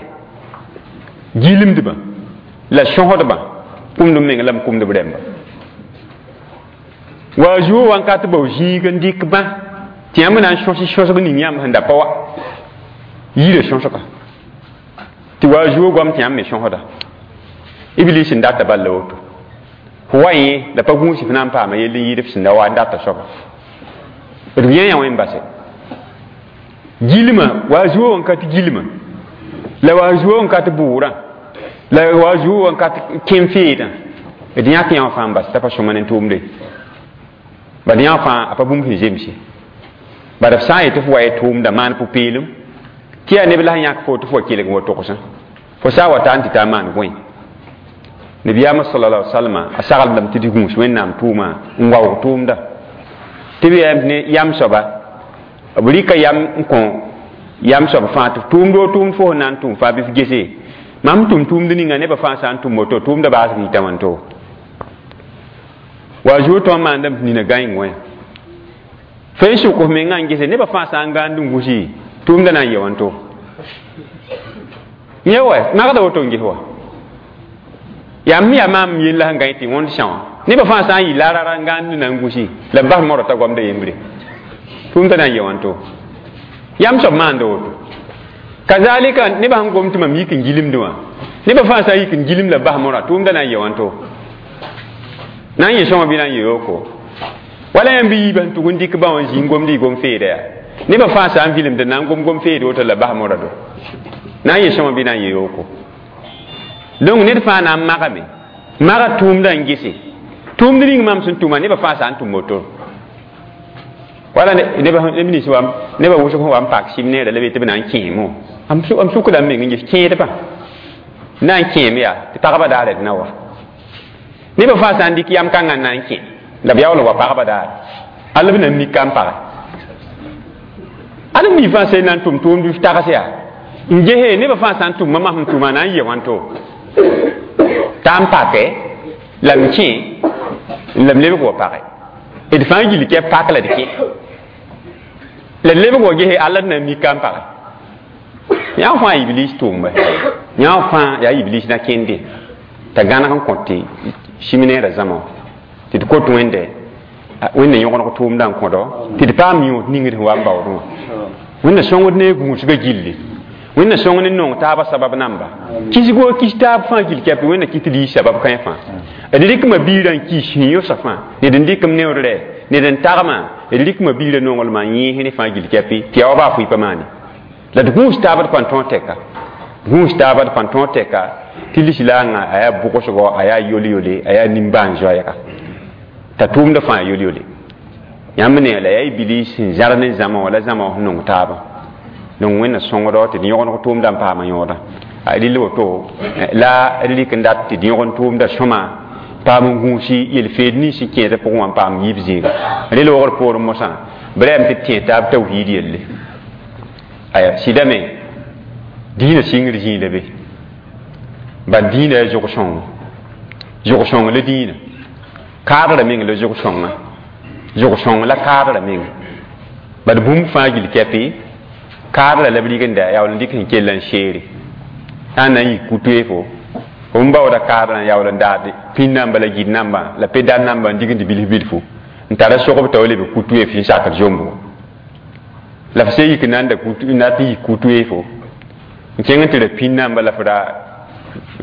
gilmdbã la sõsdbã kũmd meng la m kũmd b rẽmba wa zuo wankat bao zĩig n dɩk bã tɩ yãmb na n sõs sõsg ning yãmb sẽn da pa wa yirã sõsga tɩ wa zuo goam tɩ yãmb me sõsda. Iblis n data bal la woto fo wa yẽ la pa gũus f na n paama yell n yɩɩd f sẽn da wa n data soaba d yã yã wẽn base gilma wa zuo wankat gilma la wa zuo wankat bʋʋrã la wa zuo wankat kẽm feedã d yãk yã wã fãa n bas t'a pa sõma ne tʋʋmde bad yã fãa a pa bũmb sẽn zemse bad f sã n yetɩ f wa ye tʋʋmda maan pʋ-peelem tɩ yaa neb la sẽn yãk fo tɩ fo wa kelg n wa togsã fo sã n wa taa n tɩ taa maan gõe. Nabiyaamã sallallahu alaihi wasallam a saglendame tɩ d gũus Wẽnnaam tʋʋma n waoog tʋʋmda tɩ b yaa ne yam soaba b rɩka yam n kõ yam soab fãa tɩ tʋʋmd o tʋʋmd fo sẽn na n tʋm fãa bɩ f gese mam tʋm tʋʋmd ninga nebã fãa sã n tʋm woto tʋʋmda baasg yita wãnto wa zuo tõe n maandame tɩ nina gãeng wã fo n sʋk f mengã n gese nebã fãa sã n gãand n gũsi tʋʋmda na n ye wãnto yẽ wa magda woto n ges wa yaa m yaa maam yella sẽn gãe tɩ wõnd sã wã nebã fãa sã n yɩ larara n gãand na n gũsi la b bas modg t'a goamda yembre tʋʋmda na n ye wãnto yam soab maanda woto. Kazalika nebã sẽn gom tɩ mam yik n gilemdẽ wã nebã fãa sã n yik n gilem la b bas modga tʋʋmda na n ye wãnto na n yẽ sõma bɩ na n yẽ yooko wala yãmb bɩ yiibã sẽn tʋg n dɩk bã wã n zĩ n gomd y gom feeda yaa nebã fãa sã n vilemd na n gom gom feed woto la bas modga do na n yẽ sõma bɩ na n yẽ yooko. Donc ned fãa na n magame maga tʋʋmdã n gese tʋʋmd ning mam sẽn tʋma nebã fãa sã n tʋm woto wala neb nins wa nebã wʋsg sẽn wa n pak sɩm neerã la be tɩ b na n kẽemo m sukda m meng n ges kẽedbã na n kẽem yaa tɩ pagba daarã d na wa nebã fãa sã n dɩk yam kãngã n na n kẽ la b yaool n wa pagba daare all b na n mika n page al mi fãa sẽn na n tʋm tʋʋmd f tags yaa n gese nebã fãa sã n tʋm mam sẽn tʋma na n yɩ wãnto t'a n pake la m kẽ la m lebg wa page d fãa gill kɛ pak la d kẽ la d lebg wa gese alla d na n mika n page yã fãa iblis tʋʋmba yã fãa yaa iblis na kẽnde t'a gãneg n kõt tɩ sɩm-neerã zãma wã tɩ d kot Wẽnde Wẽnda yõgeneg tʋʋmdã n kõdo tɩ d paam yõod ningd sẽn wa n baoodẽ wã Wẽnda sõngd ne gũusgã gilli Wẽnda sõng ne nong taabã sabab namba kisgo kis taab fãa gill kɛp Wẽnda kɩ tɩ d yɩ sabab kãe fãa d rɩkma biirã n kis sẽn yʋsa fãa ned n dɩkm neoor rɛ ned n tagmã d rɩkma biirã nonglmã n yẽes ne fãa gill kɛpɩ tɩ yaa wa baa fʋɩ pa maane la d gũus taab d pãn tõog tɛka gũus taab d pãn tõog tɛka tɩ lislaangã a yaa bʋgsgo a yaa yol-yole a yaa nimbãan-zoɛɛga t'a tʋʋmdã fãa yol-yole yãmb ne la yaa iblis sẽn zãr ne zãma wã la zãma wã sẽn nong taabã donc Wẽnna sõngdo tɩ d yõgeneg tʋʋmdã n paama yõoda a rɩl woto la d rɩk n dat tɩ d yõgen tʋʋmdã sõma paam n gũusi yel-feed nins sẽn kẽedã pʋgẽ wã n paam yiib zĩiga rel wogr poorẽ mosã b rɛɛm tɩ d tẽ taab tawhiid yelle aya sɩdame dĩinã sɩngr zĩig la be bad dĩinã yaa zʋg-sõngo zʋg-sõng la dĩinã kaadrã meng la zʋg-sõngã zʋg-sõng la kaadrã meng bad bũmb fãa gill kɛpɩ kaadrã la b rig n da yaool n dɩk sẽn kell n seere sã n na n yik ku-toeefo f n baooda kaadrã n yaool n daad pĩn namba la gid namba la pe-dar namba n dignd bilf bilfu n tara sogb t'a wa leb ku-toeef sẽn sakd zombgo la f sẽn yik n na n da na tɩ yik ku-toeefo n kẽng n tɩ ra pĩn namba la f ra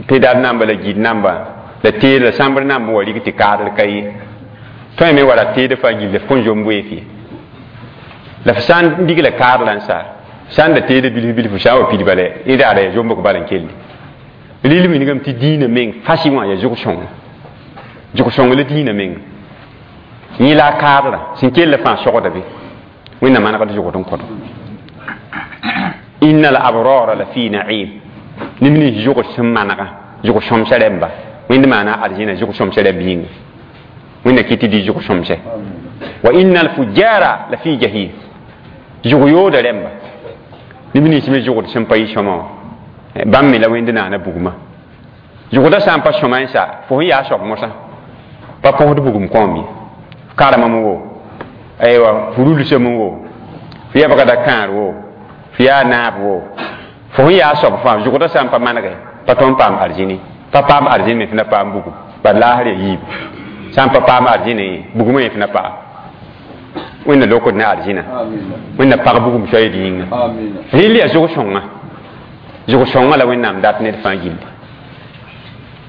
pe-dar namba la gid namba la teed la sãmbr namba wa rig tɩ kaadr ka ye tõe me wa ra teed fãa gill f kõn zomb weef ye la f sã n dig la kaadrã n sa Sã n da teeda bilf bilf sã n wa pid bala y raada yaa zombg bala n kelli rɩl wilgame tɩ dĩinã meng fasɩ wã yaa zʋg-sõngo zʋg-sõng la dĩinã meng yẽ la a kaadrã sẽn kell fãa sogda be wẽnnaam manegd zʋgd n kõdo inna al abrara la fi na'im neb nins zʋgd sẽn manega zʋg sõmsã rẽmba wẽnd maana arzĩna zʋg sõmsã rẽmb yĩnga wẽnna kɩ tɩ dɩ zʋg sõmsɛ wa inna al fujara la fi jahim zʋg yooda rẽmba neb nins me zʋgd sẽn pa yɩ sõma wã bãmb me la wẽnd naana bugmã zʋgdã sã n pa sõma n sa fo sẽn yaa soab mosã pa põsd bugum kõom ye karemame wo aywa fo rulsame wo fo yɛbgda kãar wo fo yaa naab wo fo sẽn yaa soab fãa zʋgdã sã n pa manege pa tõnd paam arzĩni pa paam arzĩn me fo na paam bugum bad laasr yaa yiibu sã n pa paam arzĩne bugumã yẽ fo na paam wẽnna lokd ne arzĩna wẽnna pag bugum soeed yĩnga rɩl yaa zʋg-sõnga zʋg-sõnga la wẽnnaam dat ned fãa gilli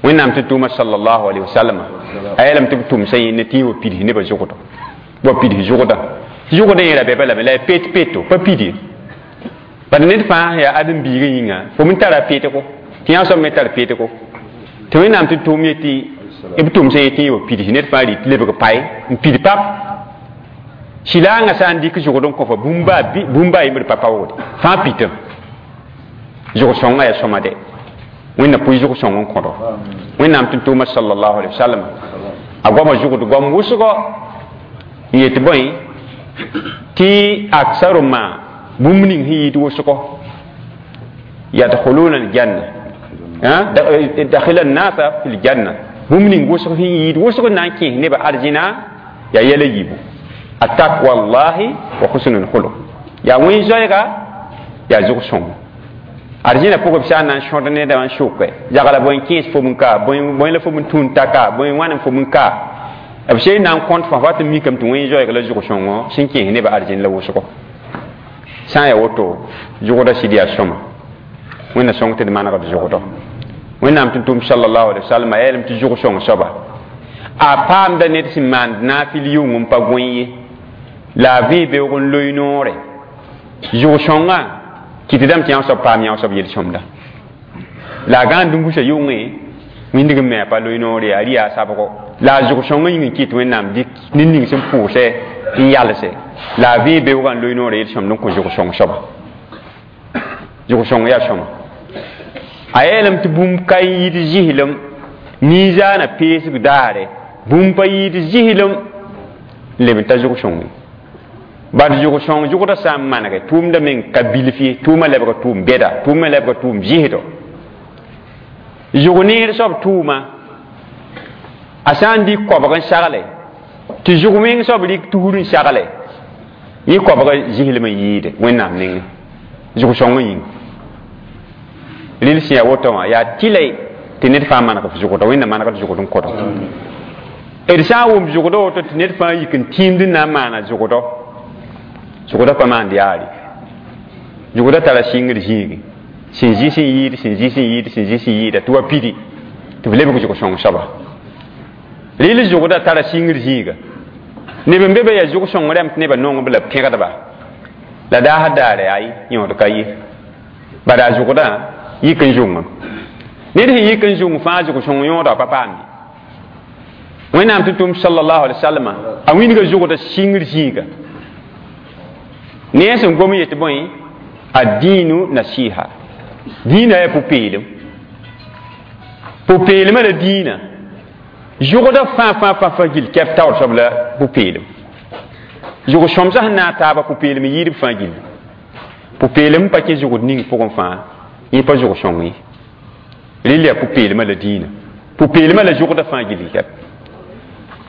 wẽnnaam tɩ tʋʋma sallallahu alaihi wasallam a yeelame tɩ b tʋmsã yẽnne tɩ yẽ wa pids nebã zʋgdɔ wa pids zʋgdã zʋgdã yẽ ra bɛ balame la ya pet peto pa pid ye bad ned fãa yaa ãdem-biigã yĩnga fo n tara petgo tɩ yã soab me tar petgo tɩ wẽnnaam tɩ tʋʋm yetɩ b tʋmsã yetɩ yẽ wa pids ned fãa rɩ tɩ lebg pae n pid pap sɩlaangã sã n dɩk zʋgd n kõ fa bũmba a yembr pa paoogde fãa pitame zʋg-sõngã yaa sõma dɛ wẽnna pʋɩ zʋg-sõng n kõdo wẽnnaam tɩ tʋʋma sallallahu alaihi wasallam a goama zʋgd goam wʋsgɔ n yet bõe tɩ aksaru ma bũmb ning sẽn yɩɩd wʋsgɔ yadkhuluna aljanna dakhila annasa fi ljanna bũmb ning wʋsg sẽn yɩɩd wʋsg n na n kẽes nebã arzĩna yaa yɛla yiibu attaqwa llahi wa husnu lkhuluq yaa wẽn-zoɛɛga yaa zʋg-sõngo arzĩna pʋgẽ b sã n na n sõd nedã n sʋke yagla bõe n kẽes fo n ka bõe la fo n tũun taka bõe wãn n fo n ka b sẽn na n kõt fãa wat n mikame tɩ wẽn-zoɛɛg la zʋg-sõngo sẽn kẽes nebã arzĩn la wʋsgo sã n yaa woto zʋgdã sɩd yaa sõma wẽnna sõng tɩ d manegd zʋgdɔ wẽnnaam tɩ tʋm sallallahu alaihi wasallam a yeelame tɩ zʋg-sõng soaba a paamda ned sẽn maand naafɩl yʋng n pa gõe ye la a vẽe beoog n loe noore zʋg-sõngã kɩtdame tɩ yã soab paam yã soab yel-sõmda la a gãand n gusa yʋngẽ wĩndg n me a pa loe noore yaa rɩ yaa sabgo la a zʋg-sõngã yĩng n kɩt wẽnnaam dɩk ned ning sẽn pʋʋsɛ n yalse la a vẽe beoogã n loe noore yel-sõmd n kõ zʋg-sõng soaba zʋg-sõng yaa sõma a yeelame tɩ bũmb ka yɩɩd zɩslem ninzaana peesg daare bũmb pa yɩɩd zɩslem n leb n ta zʋg-sõng ye bad zʋg-sõng zʋgdã sã n manege tʋʋmdã meng ka bilf ye tʋʋmã lebga tʋʋm bɛda tʋʋmã lebga tʋʋm zɩsdɔ zʋg neer soab tʋʋma a sã n dɩk koabg n sagle tɩ zʋg meng soab rɩk tusr n sagle yẽ koabga zɩslem n yɩɩde wẽnnaam nengẽ zʋg-sõngã yĩnga rɩl sẽn yaa woto wã yaa tɩla tɩ ned fãa maneg f zʋgdɔ wẽnna manegd zʋgd n kõdo d sã n wʋm zʋgdɔ woto tɩ ned fãa yik n tĩimd n na n maana zʋgdɔ zʋgdã pa maand yaare zʋgdã tara sɩngr zĩigi sẽn zĩ sẽn yɩɩd sẽn zĩ sẽn yɩɩd sẽn zĩ sẽn yɩɩda tɩ wa pidi tɩ b lebg zʋg-sõng soaba rɩl zʋgdã tara sɩngr zĩiga neb n be be yaa zʋg-sõng rãmb tɩ nebã nong b la b pẽgdba la daasd daare ay yõod ka ye bala a zʋgdã yik n zʋngem ned sẽn yik n zʋng fãa zʋg-sõng yõoda pa paam ye wẽnnaam tɩ tʋm sallallahu alaihi wasallam a wĩnga zʋgdã sɩngr zĩiga ne sẽn gom yetɩ bõe ad-dinu nasiha dĩinã yaa pʋ-peelem pʋ-peelmã la dĩinã zʋgdã fãa fãa fãa fãa gill kɛp taoor soab la pʋ-peelem zʋg sõmsã sẽn na n taaba pʋ-peelem yɩɩdb fãa gilli pʋ-peelem pa kẽ zʋgd ning pʋgẽ fãa yẽ pa zʋg sõng ye rɩl yaa pʋ-peelmã la dĩinã pʋ-peelmã la zʋgdã fãa gilli kɛp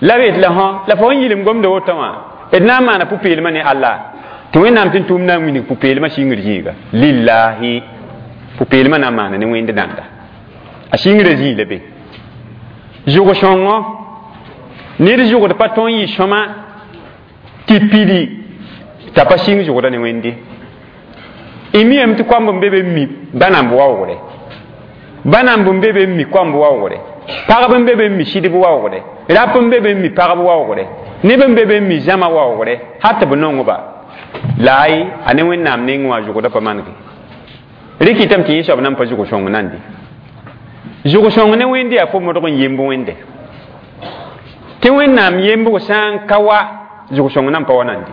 la b la fõ la fo sẽn yɩlem gomda woto wã d na n maana pʋ-peelmã ne Allah tɩ wẽnnaam tɩ tʋʋm na n wilg pʋ-peelmã sɩngr zĩiga lillahi pʋ-peelmã na n maana ne wẽnd dãnda a sɩngrã zĩig la be zʋg-sõngo ned zʋgd pa tõe n yɩ sõma tɩ pidi t'a pa sɩng zʋgdã ne wẽnde y miyame tɩ koamb n be be n mi bãnamb waoogre bãnamb n be be n mi koamb waoogre pagb n be be n mi sɩdb waoogre rap n be be n mi pagb waoogre neb n be be n mi zãma waoogre hal tɩ b nongba La a ne wẽnnaam nengẽ wã zʋgda pa manege rɩkɩtame tɩ yẽ soab nan pa zʋg sõng nande zʋg sõng ne wẽnde yaa fo modg n yemb wẽnde tɩ wẽnnaam yembg sã n ka wa zʋg sõng nan pa wa nande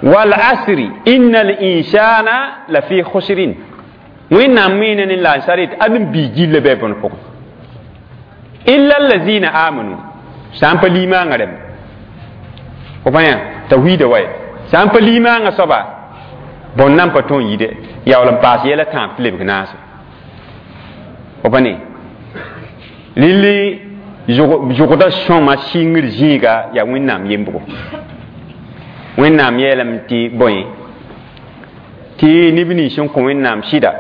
wal asri innal insana la fi khusrin wẽnnaam meene ne la n sar yetɩ ad n bii gilla bɩ a bõn pʋgẽ illa allazina amanu sã n pa limaangã rẽmba fo pa yã tawhiida wa ye sã n pa limaangã soaba bõn nan pa tõe n yide yaool n paas yɛla tãab tɩ lebg naase fo pa ne rɩlli zʋgda sõma sɩngr zĩiga yaa wẽnnaam yembgo wẽnnaam yeelame tɩ bõe tɩ neb nins sẽn kõ wẽnnaam sɩda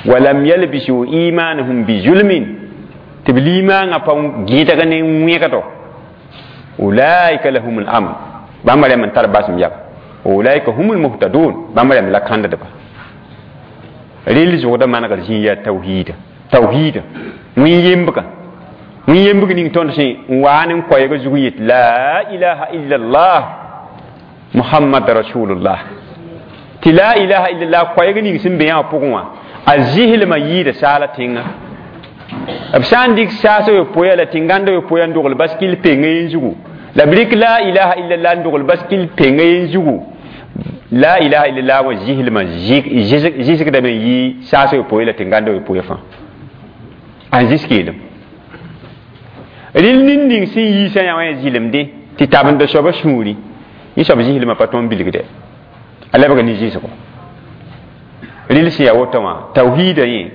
walam yalbisu imanahum bizulmin tɩ b limaangã pa gẽdg ne wẽgdo ulaika lahum l-amn bãmb rẽmb n tar basem yaba ulaika hum lmuhtadun bãmb rẽmb la kãndedba rɩl zʋgda manegr zĩig yaa tawhiida tawhiida wẽn yembga wẽn yembg ning tõnd sẽn n waa ne n koɛɛg zug yet la ilaha illallah muhammad rasulullah tɩ la ilaha illallah koɛɛg ning sẽn be yã wã pʋgẽ wã a zɩslmã yɩɩda saala tẽnga b sã n dɩk saas yopoeya la tẽngãnd yopoeya n dogl baskil pengã yen zugu la b rɩk la ilaha illallah n dogl baskil pengã yen zugu la ilaha illallah wã zɩslmã zɩsgdame n yɩ saas yopoe la tẽngãnd yopoeya fãa a n zɩs keelem rɩl nin ning sẽn yiisã yã wã yaa zɩlemde tɩ tabenda soabã sũuri yẽ soab zɩslmã pa tõe n bilgde a lebga ne zɩsgo rɩl sẽn yaa woto wã tawhiida yẽ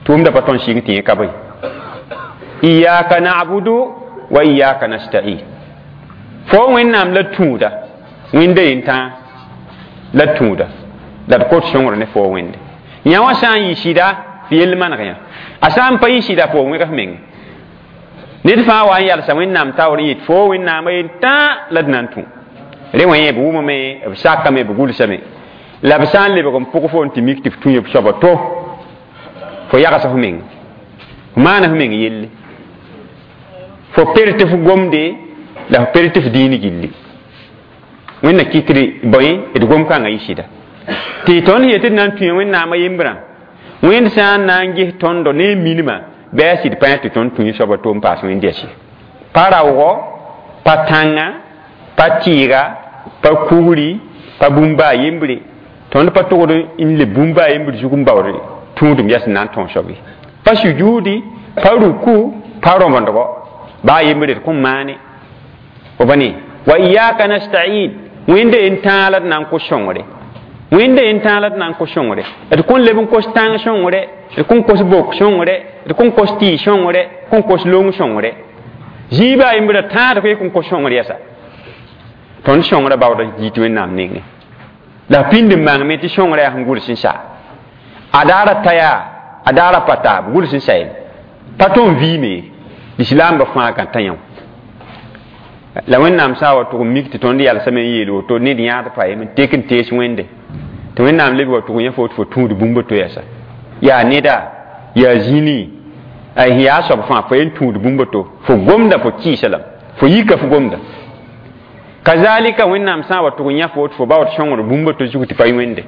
tʋʋmda pa tõe n sɩng tɩ yẽ ka bõe iyaka na'budu wa iyaka nasta'in fo wẽnnaam la tũuda wẽnda yen-tãa la tũuda la d kot sõngr ne fo wẽnde yã wã sã n yɩ sɩda f yell maneg yã a sã n pa yɩ sɩda fo wẽgs meng ned fãa wa n yalsa wẽnnaam taoor n yet fo wẽnnaamã yen-tãa la d na n tũ re wã yẽ b wʋmame b sakame b gʋlsame la b sã n lebg n pʋg fo n tɩ mik tɩ f tũ b soaba to fo yagsa f meng f maana f meng yelle fo per tɩ f gomde la f per tɩ f dĩin gilli wẽnna kɩtr bõe d gom-kãngã yɩ sɩda tɩ tõnd yetɩ d na n tũa wẽnnaamã yembrã wẽnd sã n na n ges tõndo ne minimã bɩ a sɩd pãyã tɩ tõnd tũ soaba to n paas wẽnd yɛs pa raoogo pa tãnga pa tɩɩga pa kugri pa bũmb a yembre tõnd pa togd n le bũmb a yembr zug n baood tũudum yɛs n na n tõog soab ye pa sujuudi pa ruku pa rõbendgo baa yembre d kõn maane fo pa ne wa iyaka nasta'in wẽnda yen tãag la d na n kos sõngre wẽnda yen tãag la d na n kos sõngre d kõn leb n kos tãng sõngre d kõn kos bok sõngre d kõn kos tɩɩ sõngre kõn kos long sõngre zĩig baa yembrã tãad koe kõn kos sõngr yɛsa tõnd sõngrã baooda yit wẽnnaam nengẽ la pĩnd n mangame tɩ sõngrã yaa sẽn gʋls n sa a daara ta yaa a daara pa taab gʋls n sa yel pa tõe n vɩɩme lislaambã fãa gãta yã la wẽnnaam sã n wa tʋg n mik tɩ tõnd yalsame n yeel woto ned yãad pa ye n tek n tees wẽnde tɩ wẽnnaam leb wa tʋg yã fo tɩ fo tũud bũmb to yɛsa yaa neda yaa zĩni a yaa soab fãa fo yen tũud bũmb to fo gomda fo kɩɩsa lame fo yika fo gomda kazalika wẽnnaam sã n wa tʋg n yã fo tɩ fo baood sõngr bũmb to zug tɩ pa wẽnde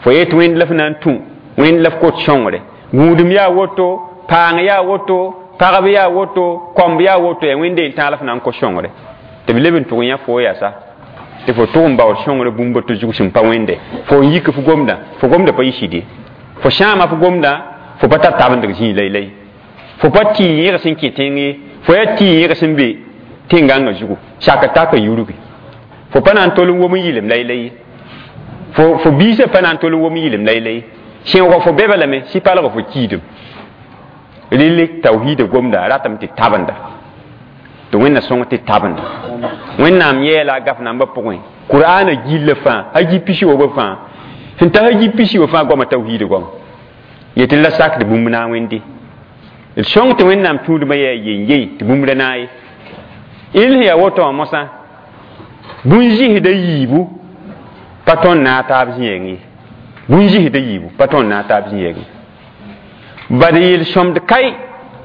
fo yet wẽnd la f na n tũ wẽnd la f kot sõngre gũudum yaa woto paang yaa woto pagb yaa woto kõmb yaa woto yaa wẽnde n tãag la f na n kos sõngre tɩ b leb n tʋg yã fo yasa tɩ fo tʋg n baood sõngr bũmb to zug sẽn pa wẽnde fo n yik f gomdã fo gomda pa yɩ sɩd ye fo sãama f gomdã fo pa tar tabendg zĩig laylay fo pa tɩ yẽg sẽn kẽ tẽng ye fo yaa tɩ yẽg sẽn be tẽn-gãngã zugu sak taka yurgi fo pa na n tol n wom n yɩlem laylay ye fo biisã pa na n tol n wom n yɩlem laylay sẽoogã fo bɛba lame sɩ palg fo kiidem rɩl tawhiida gomda ratame tɩ tabenda tɩ wẽnna sõng tɩ tabenda wẽnnaam yɛɛla a gaf nambã pʋgẽ qur'aana gilla fãa haji pisi wobo fãa sẽn ta haji pisi wo fãa goama tawhiida goama yetɩ la sakd bũmb na n wẽnde d sõng tɩ wẽnnaam tũudmã yaa yen-yei tɩ bũmb ra naay il sẽn yaa woto wã mosã bũn-zɩsda yiibu pa tõnd na a taab zĩ-yɛng ye bũn-zɩsda yiibu pa tõnd na a taab zĩ-yɛng ye bad yel-sõmd kai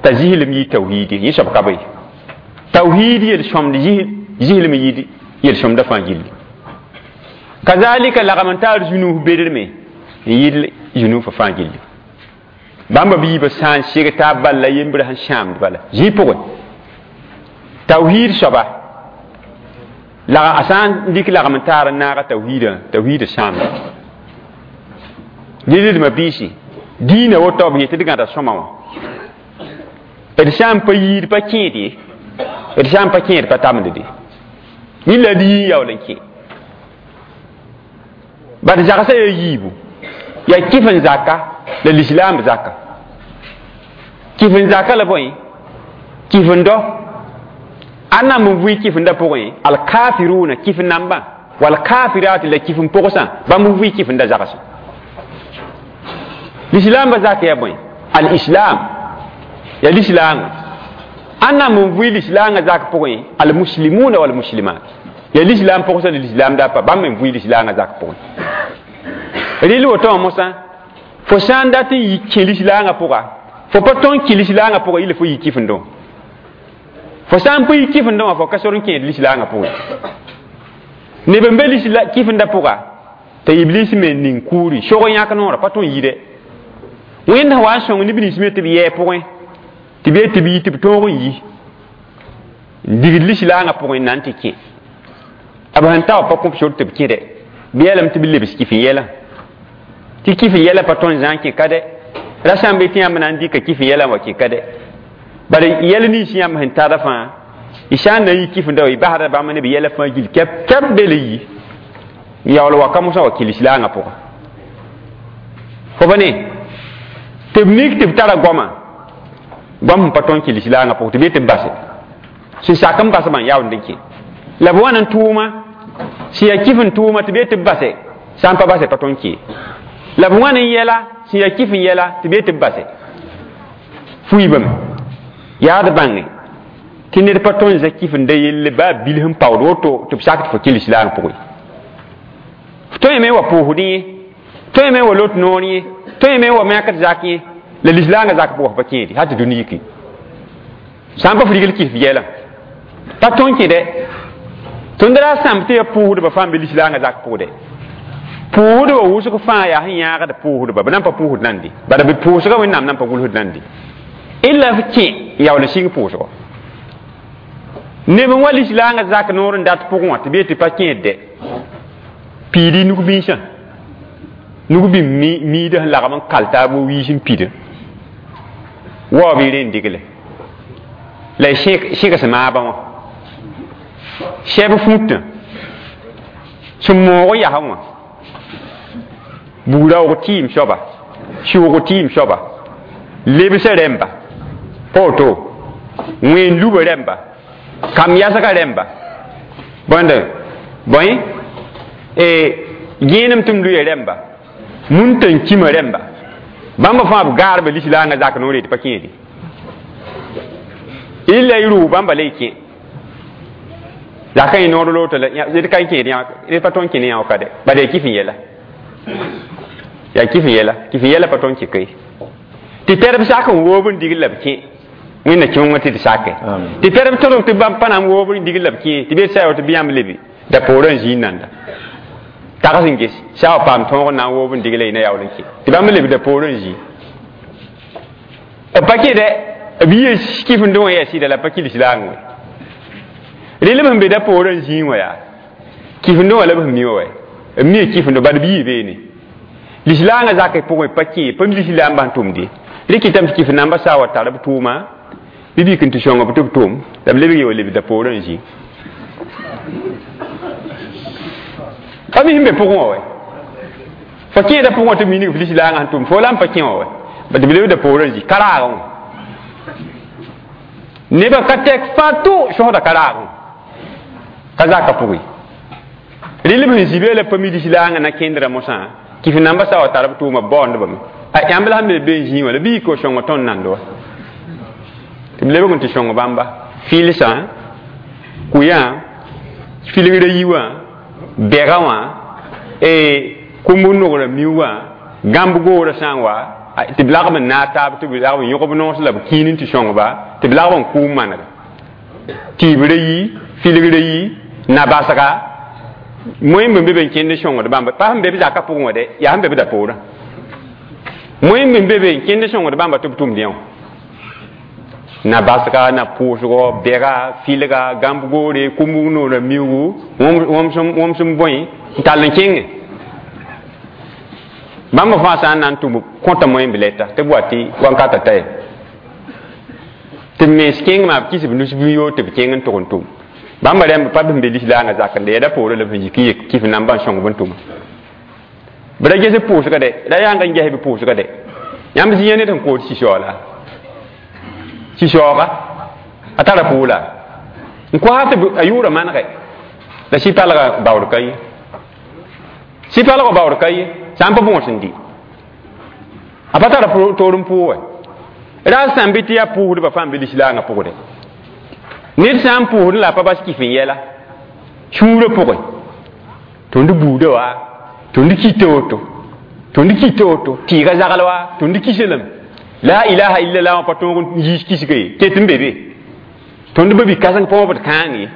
t'a zɩslem yɩ tawhiid ye yẽ soab ka bõe tawhiid yel-sõmd zɩslem yɩ yel-sõmdã fãa gilli kazalika lagm n taar zũnus bedrme n yɩl zũnufã fãa gilli bãmba b yiibã sã n seg taab bal la yembrã sẽn sãamd bala zĩ pʋgẽ tawhiid soaba la a sã n dɩk lagm n taar n naaga tawhiidã tawhiidã sãamda dɩdma biisi diinã woto b yetɩ d gãda sõma wã d sã n pa yiid pa kẽed ye d sã n pa kẽed pa tamd de yĩlla d yii yaool n kẽ bad zagsã yaa yiibu yaa kɩf n zaka la lislaam zaka kɩf n zaka la bõe kɩf n dɔ ãnnam n vʋɩ kɩf-n-da pʋgẽ alkafiruna kɩf nambã walkafirat la kɩf n pʋgsã bãmb n vʋɩ kɩf-n-da zagsã lislaambã zak yaa bõe al-islam yaa lislaangã ãnnam n vʋɩ lislaangã zak pʋgẽ almuslimuna walmuslimat yaa lislaam pʋgsã la lislaam da pa bãmb n vʋɩ lislaangã zak pʋgẽ rɩl woto wã mosã fo sã n dat n yi kẽ lislaangã pʋga fo pa tõn kẽ lislaangã pʋga yɩla fo yi kɩf-n-dõ fo sã n pa yi kɩf-n-dõ wã fo ka sor n kẽed lislaangã pʋgẽ neb n be kɩf-n-da pʋga t'a iblis me ning kuuri sog n yãk noorã pa tõn yide wẽnd sã wa n sõng neb nins me tɩ b yɛɛ pʋgẽ tɩ b ye tɩ b yi tɩ b tõog n yi n digd lislaangã pʋgẽ n na n tɩ kẽ b sẽn ta wa pa kõb sor tɩ b kẽde bɩ yeelame tɩ b lebs kɩf n yɛlã tɩ kɩf n yɛlã pa tõn zã n kẽ ka dɛ ra sã n be tɩ yãmb na n dɩka kɩf n yɛlã n wa kẽ ka dɛ bala yɛl nins yãmb sẽn tara fãa y sã n na n yi kɩf-n-da wa y basda bãmb ne b yɛla fãa gill kɛp kɛp be la yi n yaool wa ka mosã wa kẽ lislaangã pʋga fo pa ne tɩ b nik tɩ b tara goama goam sẽn pa tõn kẽ lislaangã pʋgẽ tɩ b ye tɩ b base sẽn sak n basbã n yaoond n kẽ la b wa n tʋʋma sẽn yaa kɩf n tʋʋma tɩ b ye tɩ b base sã n pa base pa tõn kẽ la b wãn n yɛla sẽn yaa kɩf n yɛla tɩ b ye tɩ b base fuiibame yaa d bãnge tɩ ned pa tõn zã kɩf n da yelle baa bil sẽn paood woto tɩ b sak tɩ fo kẽ lislaang pʋgẽ f tõe me wa pʋʋsdẽ yẽ tõe me wa lot noor yẽ tõe me wa mɛkd zak yẽ la lislaangã zak pʋgã pa kẽede hal tɩ dũni yiki sã n pa f rigl kɩf yɛlã pa tõn kẽ dɛ tõnd ra sãmb tɩ yaa pʋʋsdbã fãa n be lislaangã zak pʋgdɛ pʋʋsdbã wʋsg fãa yaa sẽn yãagd pʋʋsdba b nan pa pʋʋsd nande bala b pʋʋsgã wẽnnaam nan pa gʋlsd nande illa f kẽ yaool n sig pʋʋsgɔ neb n wa lislaangã zak noor n dat pʋgẽ wã tɩ b yetɩ pa kẽed dɛ piidi nug-binsã nug-bĩm miidã sẽn lagm n kal taab wiis n pidã waoob y rẽnd digle la y sẽgs maabã wã sɛb fũtã sẽn moog n yasẽ wã bugraoog tɩɩm soaba sʋʋg tɩɩm soaba lebsã rẽmba pa woto wẽen lubã rẽmba kam yasgã rẽmba bõnd bõe gẽenem tɩ m luya rẽmba mun-tãn kima rẽmba bãmba fãa b gaarba lislaangã zak noore tɩ pa kẽede illa y rʋʋ bãmba la y kẽ zakã y noor loto la ned ka n kẽed ned pa tõn kẽ ne yã ka dɛ bala yaa kɩf n yɛla yaa kɩf n yɛla kɩf n yɛla pa tõn kẽ koe tɩ tɛr b sak n woob n digl la b kẽ wẽnna kẽong tɩ d sake tɩ tɛr b tõdg tɩ bãmb pa na n woob n digl la b kẽ tɩ b yet sa tɩ bɩ yãmb lebe da poorã n zĩig nanda tags n ges sã wa paam tõog n na n woob n digla y na yaool n kẽ tɩ bãmb leb da poorã n zĩ b pa kẽ dɛ b yɩ kɩf n dõ wã yaa sɩda la pa kɩ lislaang wɛ rɩlb sẽn be da poorã n zĩig wã yaa kɩf n dõ wã la b sẽn mi wã wɛ b mia kɩf n dõ bad b yɩ beene lislaangã zakã pʋgẽ pa kẽ pa mi lislaambã sẽn tʋmde rɩ kɩtame tɩ kɩf nambã sã wa tar b tʋʋma bɩ bik n tɩ sõng b tɩ b tʋm la b lebg ye wa leb da poorã n zĩ pa mi sẽn be pʋgẽ wã wɛ fo kẽeda pʋgẽ wã tɩ b minig f lislaangã sẽn tʋm fo la n pa kẽ wã wɛ tɩ b lebda poorã n zĩ ka raagẽ wã nebã ka tɛk fãa tʋ sõsda ka raagẽ ka zaka pʋgẽ rɩlb sẽn zĩ be la pa mi lislaangã na kẽndrã mosã kɩf nambã sã wa tar b tʋʋma b baoondbame a yãmb la sẽn be be n zĩig wã la bɩ yik wa sõngo tõnd nand wa tɩ b lebg n tɩ sõng bãmba fɩlsã kʋyã filgrã yi wã bɛga wã kũmb nogrã miu wã gãmb goorã sã n wa tɩ b lagm n naag taab tɩ b lagm n yõg b noos la b kĩin n tɩ sõngba tɩ b lagm n kʋʋm manega tɩɩbrã yi filgrã yi Na basga moẽmb n be be n kẽnd sõngd bãmba pa sẽn be b zakã pʋgẽ wã dɛ yaa sẽn be b da poorã moẽmb n be be n kẽnd sõngd bãmba tɩ b tʋmd yã wã na basga na pʋʋsgɔ bɛga filga gãmb goore kumbug noorã miugu wõm sẽn bõe n tall n kẽngẽ bãmb fãa sã n na n tʋm kõta moẽmb lɛta tɩ b wa tɩ wankatã ta ye tɩ b mens kẽng maa b kis b nus bɩ yoor tɩ b kẽng n tʋg n tʋm bãmba rẽmb pa b sẽn be lislaangã zakende ya da poorã la b sẽn yik n yek kɩf nambã n sõng b n tʋma b ra ges b pʋʋsga dɛ ra yãng n ges b pʋʋsga dɛ yãmb zĩ ned sẽn kood sɩsoola sɩsooga a tara pʋʋla n koas tɩ a yʋʋra manegɛ la sɩ-palga baood ka ye sɩ-palgã baood ka ye sã n pa bõos n dɩ a pa tara toor n pʋʋgɛ ra sãn bɩ tɩ yaa pʋʋsdbã fãa n be lislaangã pʋgdɛ ned sã n pʋʋsd la a pa bas kɩf n yɛla sũurã pʋgẽ tõnd buudã wa tõnd kɩta woto tõnd kɩta woto tɩɩga zagl wa tõnd kisa lame la ilaha illallah wã pa tõog n yiis kisga ye ket n be be tõnd ba bi-kãseng pa wãbd kãang ye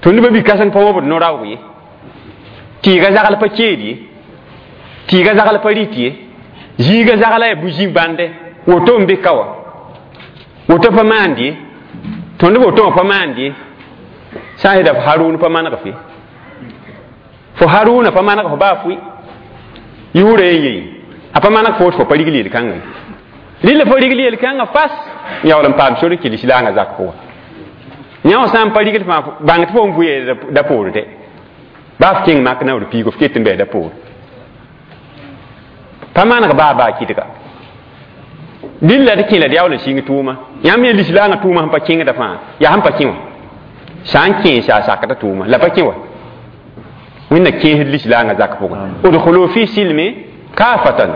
tõnd ba bi-kãseng pa wãbd no-raoog ye tɩɩga zagl pa keed ye tɩɩga zagl pa rɩt ye zĩiga zagla yaa bu-zĩ bãnde woto n be ka wã woto pa maand ye tõnd woto wã pa maand ye sã n yeta f Harun pa maneg fe fo Haruna pa maneg fo baa fʋɩ yʋʋra yen yei a pa maneg fo tɩ fo pa rigl yel-kãngã ye rɩla fo rigl yel-kãngã fas n yaool n paam sor n kɩ lislaangã zak pʋgã yã wã sã n pa rigl fãa bãng tɩ fo n vʋɩ da poor dɛ baa f kẽng mak naoor piigo f ket n bɩ da poor pa maneg baa baa kɩdga dɩlla d kẽ la d yaool n sɩng tʋʋma yãmb yẽ lislaangã tʋʋma sẽn pa kẽngda fãa yaa sẽn pa kẽ wã sã n kẽesa a sakda tʋʋma la pa kẽ wa wẽnna kẽesd lislaangã zak pʋgẽ udkhulu fi silmi kafatan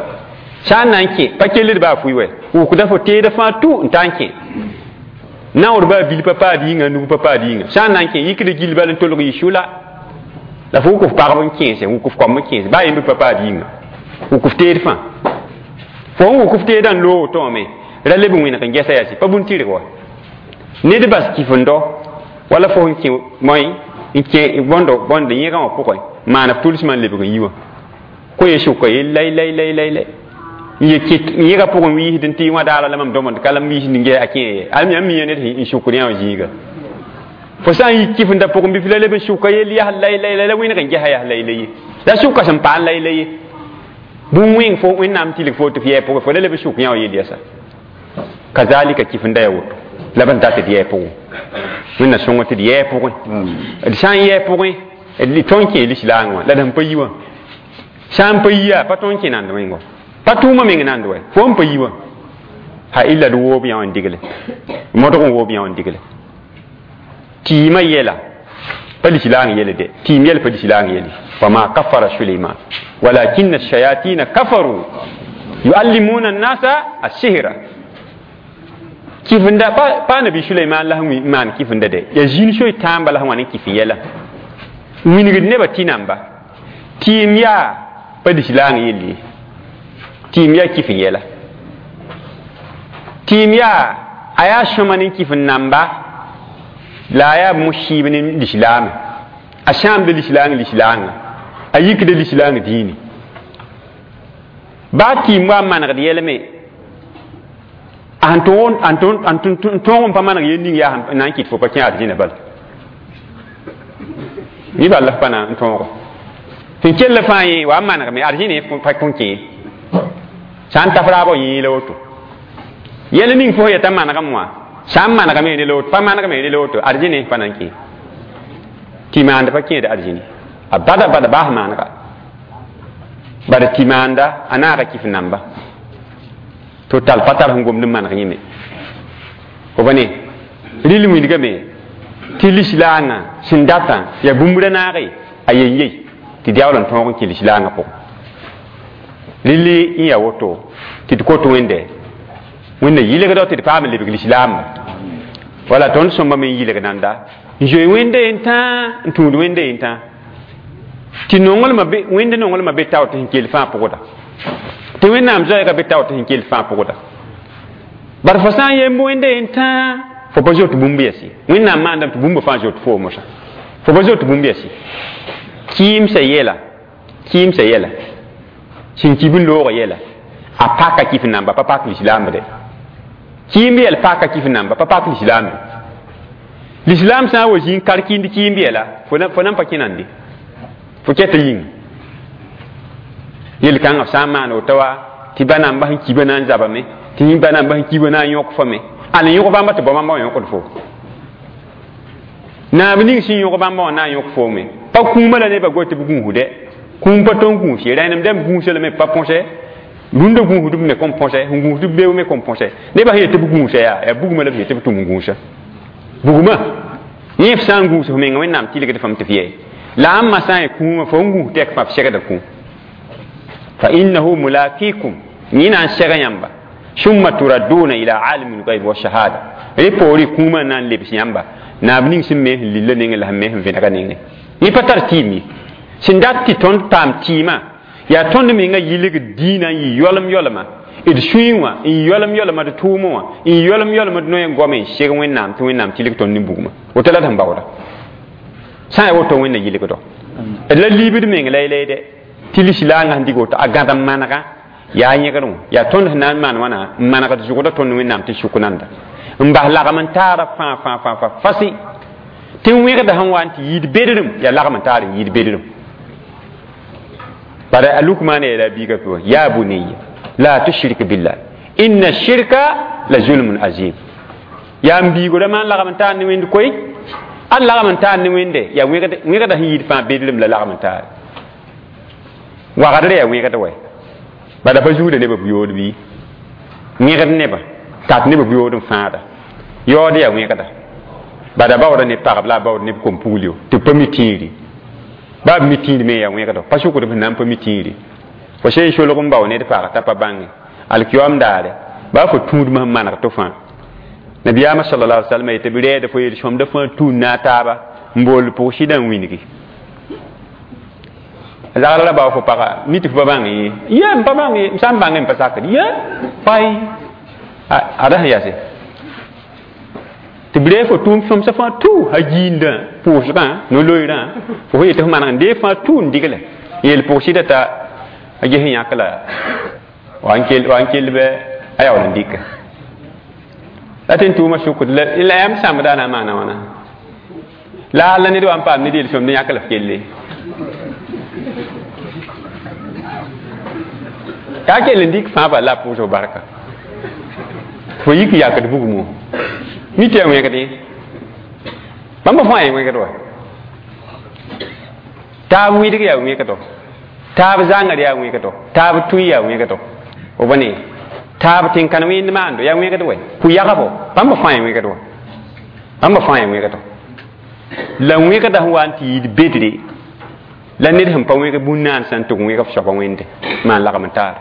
sã n na n kẽ pa kelld baa fʋɩ wɛ wʋkda fo teeda fãa tũ n ta n kẽ naoor baa bil pa paad yĩnga nug pa paad yĩnga sã n na n kẽ yikd gill bal n tolg yɩ sʋla la fo wʋk f pagb n kẽese wʋk f koam n kẽese baa yemb pa paad yĩnga wʋk f teed fãa fo n wʋk f teedã n loog tõome ra leb n wẽneg n gɛsa yasi pa bũn-tɩrg wa ned bas kɩf-n-dao wala fo sẽn kẽ moẽ n kẽ bõndo bõnd yẽgã wã pʋgẽ maan f tʋlsmã n lebg n yi wã ko ye sʋka yell lay lay lay lay lay n ye kɩt n yẽga pʋgẽ wiisd n tɩ wã daara la mam dõmd ka la m wiisd n ges a kẽ ye al yãmb mi ned n sʋkd yã wã zĩiga fo sã n yi kɩf-n-da pʋgẽ bɩ f la leb n sʋka yell yas lay lay lay la wẽneg n gesa yas lay lay ye la sʋka sẽn paam lay lay ye bũmb wẽng fo wẽnnaam tilg fo tɩ f yɛɛ pʋgẽ fo la leb n sʋk yã wã yell yasa kazalika kɩf-n-da yaa woto la b n dat d yɛɛ pʋgẽ wẽnna sõng tɩ d yɛɛ pʋgẽ d sã n yɛɛ pʋgẽ d tõn kẽ lislaang wã la d sẽn pa yi wã sã n pa yi yaa pa tõn kẽ nand wẽngo pa tʋʋmã meng nand wɛ fo n pa yi wã ha illa d woob yã wã n digle modg n woob yã wã n digle tɩɩmã yɛla pa lislaang yɛl dɛ tɩɩm yɛl pa lislaang yɛle wama kafara Suleyman walakin ash-shayatin kafaru yuallimuna an-nasa as-sihra kɩf-n-da pa nabi Suleyman la sẽn maan kɩf-n-da dɛ yaa zĩn soy tãamba la sẽn wa ne kɩf n yɛla wingd nebã tɩ namba tɩɩm yaa pa lislaang yell ye tɩɩm yaa kɩf n yɛla tɩɩm yaa a yaa sõma ne kɩf n namba la a yaa musiib ne lislaame a sãamda lislaang lislaangã a yikda lislaang dĩini baa tɩɩm wa n manegd yɛlme a sẽn tõog n pa maneg yel ning yaa na n kɩt fo pa kẽ arzĩna bala ni bal la f pa na n tõogo sẽn kell fãa yẽ wa n manegme arzĩne pa kõn kẽ sã n taf raabã yẽ la woto yɛl ning fo yeta manegem wã sã n manegme ne la woto pa manegme ne la woto arzĩne pa na n kẽ tɩ maand pa kẽed arzĩne a bada bada baas maanega bad tɩ maanda a naaga kɩf namba to tal pa tar sẽn gomd n maneg yẽme fo ba ne rɩl wĩndgame tɩ lislaangã sẽn datã yaa bũmb ra naage a yen yei tɩ d yaool n tõog n kẽ lislaangã pʋgẽ rɩl n yaa woto tɩ d kot wẽnde wẽnna yɩlgda tɩ d paam n lebg lislaamba wala tõnd sõmba me n yɩlg nanda n zoe wẽnde yen tãa n tũud wẽnde yen tãa tɩ nonglmã be wẽnd nonglmã be tao tɩ sẽn kell fãa pʋgda tɩ wẽnnaam zoɛɛga be tao tɩ sẽn kell fãa pʋgda bar fo sã n yemb wẽnde yen tãa fo pa zoet bũmb yɛs ye wẽnnaam maandame tɩ bũmba fãa zoet fo mosã fo Fo pa zoet bũmb yɛsi kɩɩmsã yɛla kɩɩmsã yɛla sẽn kib n loogã yɛla a paka kif namba pa pak lislaam de kɩɩmb yɛl paka kif namba pa pak lislaam lislaam sã n wa zĩ n kar kɩɩnd kɩɩmb yɛla fo nan pa kẽnande fo kɛta yĩnga yel-kãngã f sã n maan woto wa tɩ ba namba sẽn kiba na n zabame tɩ ba namba sẽn kiba na n yõk fo me ãn n yõk bãmba tɩ bao bãmba wã yõkd fo naab ning sẽn yõk bãmba wã na n yõk foome pa kũumã la nebã goe tɩ b gũusde kũum pa tõe n gũus ye rẽnem dãmb gũusa lame pa põse rũndã gũusdb me kõn põse sẽn gũusdb beoog me kõn põse nebã sẽn yet tɩ b gũusa yaa bugmã la b yet tɩ b tʋm n gũusa bugmã yẽ f sã n gũus f menga Wẽnnaam tɩlgd fam tɩ f yɛ la ãmba sã n yaa kũumã fo n gũus tɛk fãa f segda kũum fa innahu mulakikum yẽ na n seg yãmba summa turadduna ila alimi lgaib wa shahada rẽ poore kũumã n na n lebs yãmba naab ning sẽn me sẽn lilla nengẽ la sẽn me sẽn vẽnega nengẽ yẽ pa tar tɩɩm ye sẽn dat tɩ tõnd paam tɩɩmã yaa tõnd menga yɩlgd dĩinã n yɩ yoalem yoalema d sũyẽ wã n yɩ yoalem yoalema d tʋʋmẽ wã n yɩ yoalem yoalema d noe n goame n seg Wẽnnaam tɩ Wẽnnaam tɩlg tõnd ne bugmã woto la d sẽn baooda sã n yaa woto Wẽnna yɩlgdo d la liibd meng laylay dɛ tɩ lislaangã sẽn dig woto a gãd n manega yaa yẽgr wã yaa tõnd sẽn na n maan wãna n manegd zʋgda tõnd Wẽnnaam tɩ sʋk nanda n bas lagem n taara fãa fãa fãa fãa fasi tɩ wẽgda sẽn wa n tɩ yɩɩd bedrem yaa lagem n taar n yɩɩd bedrem bara a Lukmaan yeela a biiga pʋgẽ ya bunayya la tushrik billah inna shirka la zulmun azim yaa n biigo rãmã n lagem n taar ne wẽnd koe a lagem n taar ne wẽnde yaa wẽgda sẽn yɩɩd fãa bedrem la lagem n taare wagdrã yaa wẽgd wɛ bala pa zuuda nebã buyood bɩ wẽgd nebã tat nebã buyood n fãada yaood yaa wẽgda bada baooda ne pagb la a baood neb kom-puglio tɩ b pa mi tĩiri baa b mi tĩir me yaa wẽgdo pa sʋkd b sẽn na n pa mi tĩiri fo sẽn solg n bao ned pag t'a pa bãnge alkiyoam daare baa fo tũudmã sẽn maneg tɩ fãa nabiyaamã sallallahu alaihi wasallam yetɩ b rɛɛda fo yel-sõmda fãa tũud na a taaba n bool pʋg-sɩdã n wĩngi zagl ra bao fo paga mi tɩ fo pa bãng ye ye m pa bãng ye m sã n bãngẽ m pa sakd ye fay ada sẽn yase tɩ b ree fo tʋʋm sõmsã fãa tũ a giindã pʋʋsgã no-loeerã fo fo yetɩ fo maneg n dee fãa tũ n digle yeel pʋg-sɩdã t'a a ges n yãk la wa n kell bɩ a yaool n dɩka la tɩ n tʋʋmã sʋkd la yãmb sãmbda na n maana wãna la la ned wa n paam ned yel-sõmd n yãk la f kelle yaa kell n dɩk fãa bala la a pʋʋsg barka fo yik yakd bugmo mi tɩ yaa wẽgd ye bãmba fãa yaa wẽgd wa taab wɩdg yaa wẽgdo taab zãngr yaa wẽgdo taab tũy yaa wẽgdo f bõne taab tẽn-kãn wẽnd maando yaa wẽgd wɛ pʋ-yagbo bãmba fãa yaa wẽgd wa bãmba fãa yaa wẽgdo la wẽgda sẽn wa n tɩ yɩɩd bedre la ned sẽn pa wẽg bũn-naan sã n tʋg wẽg f soaba wẽnde maan lagem n taar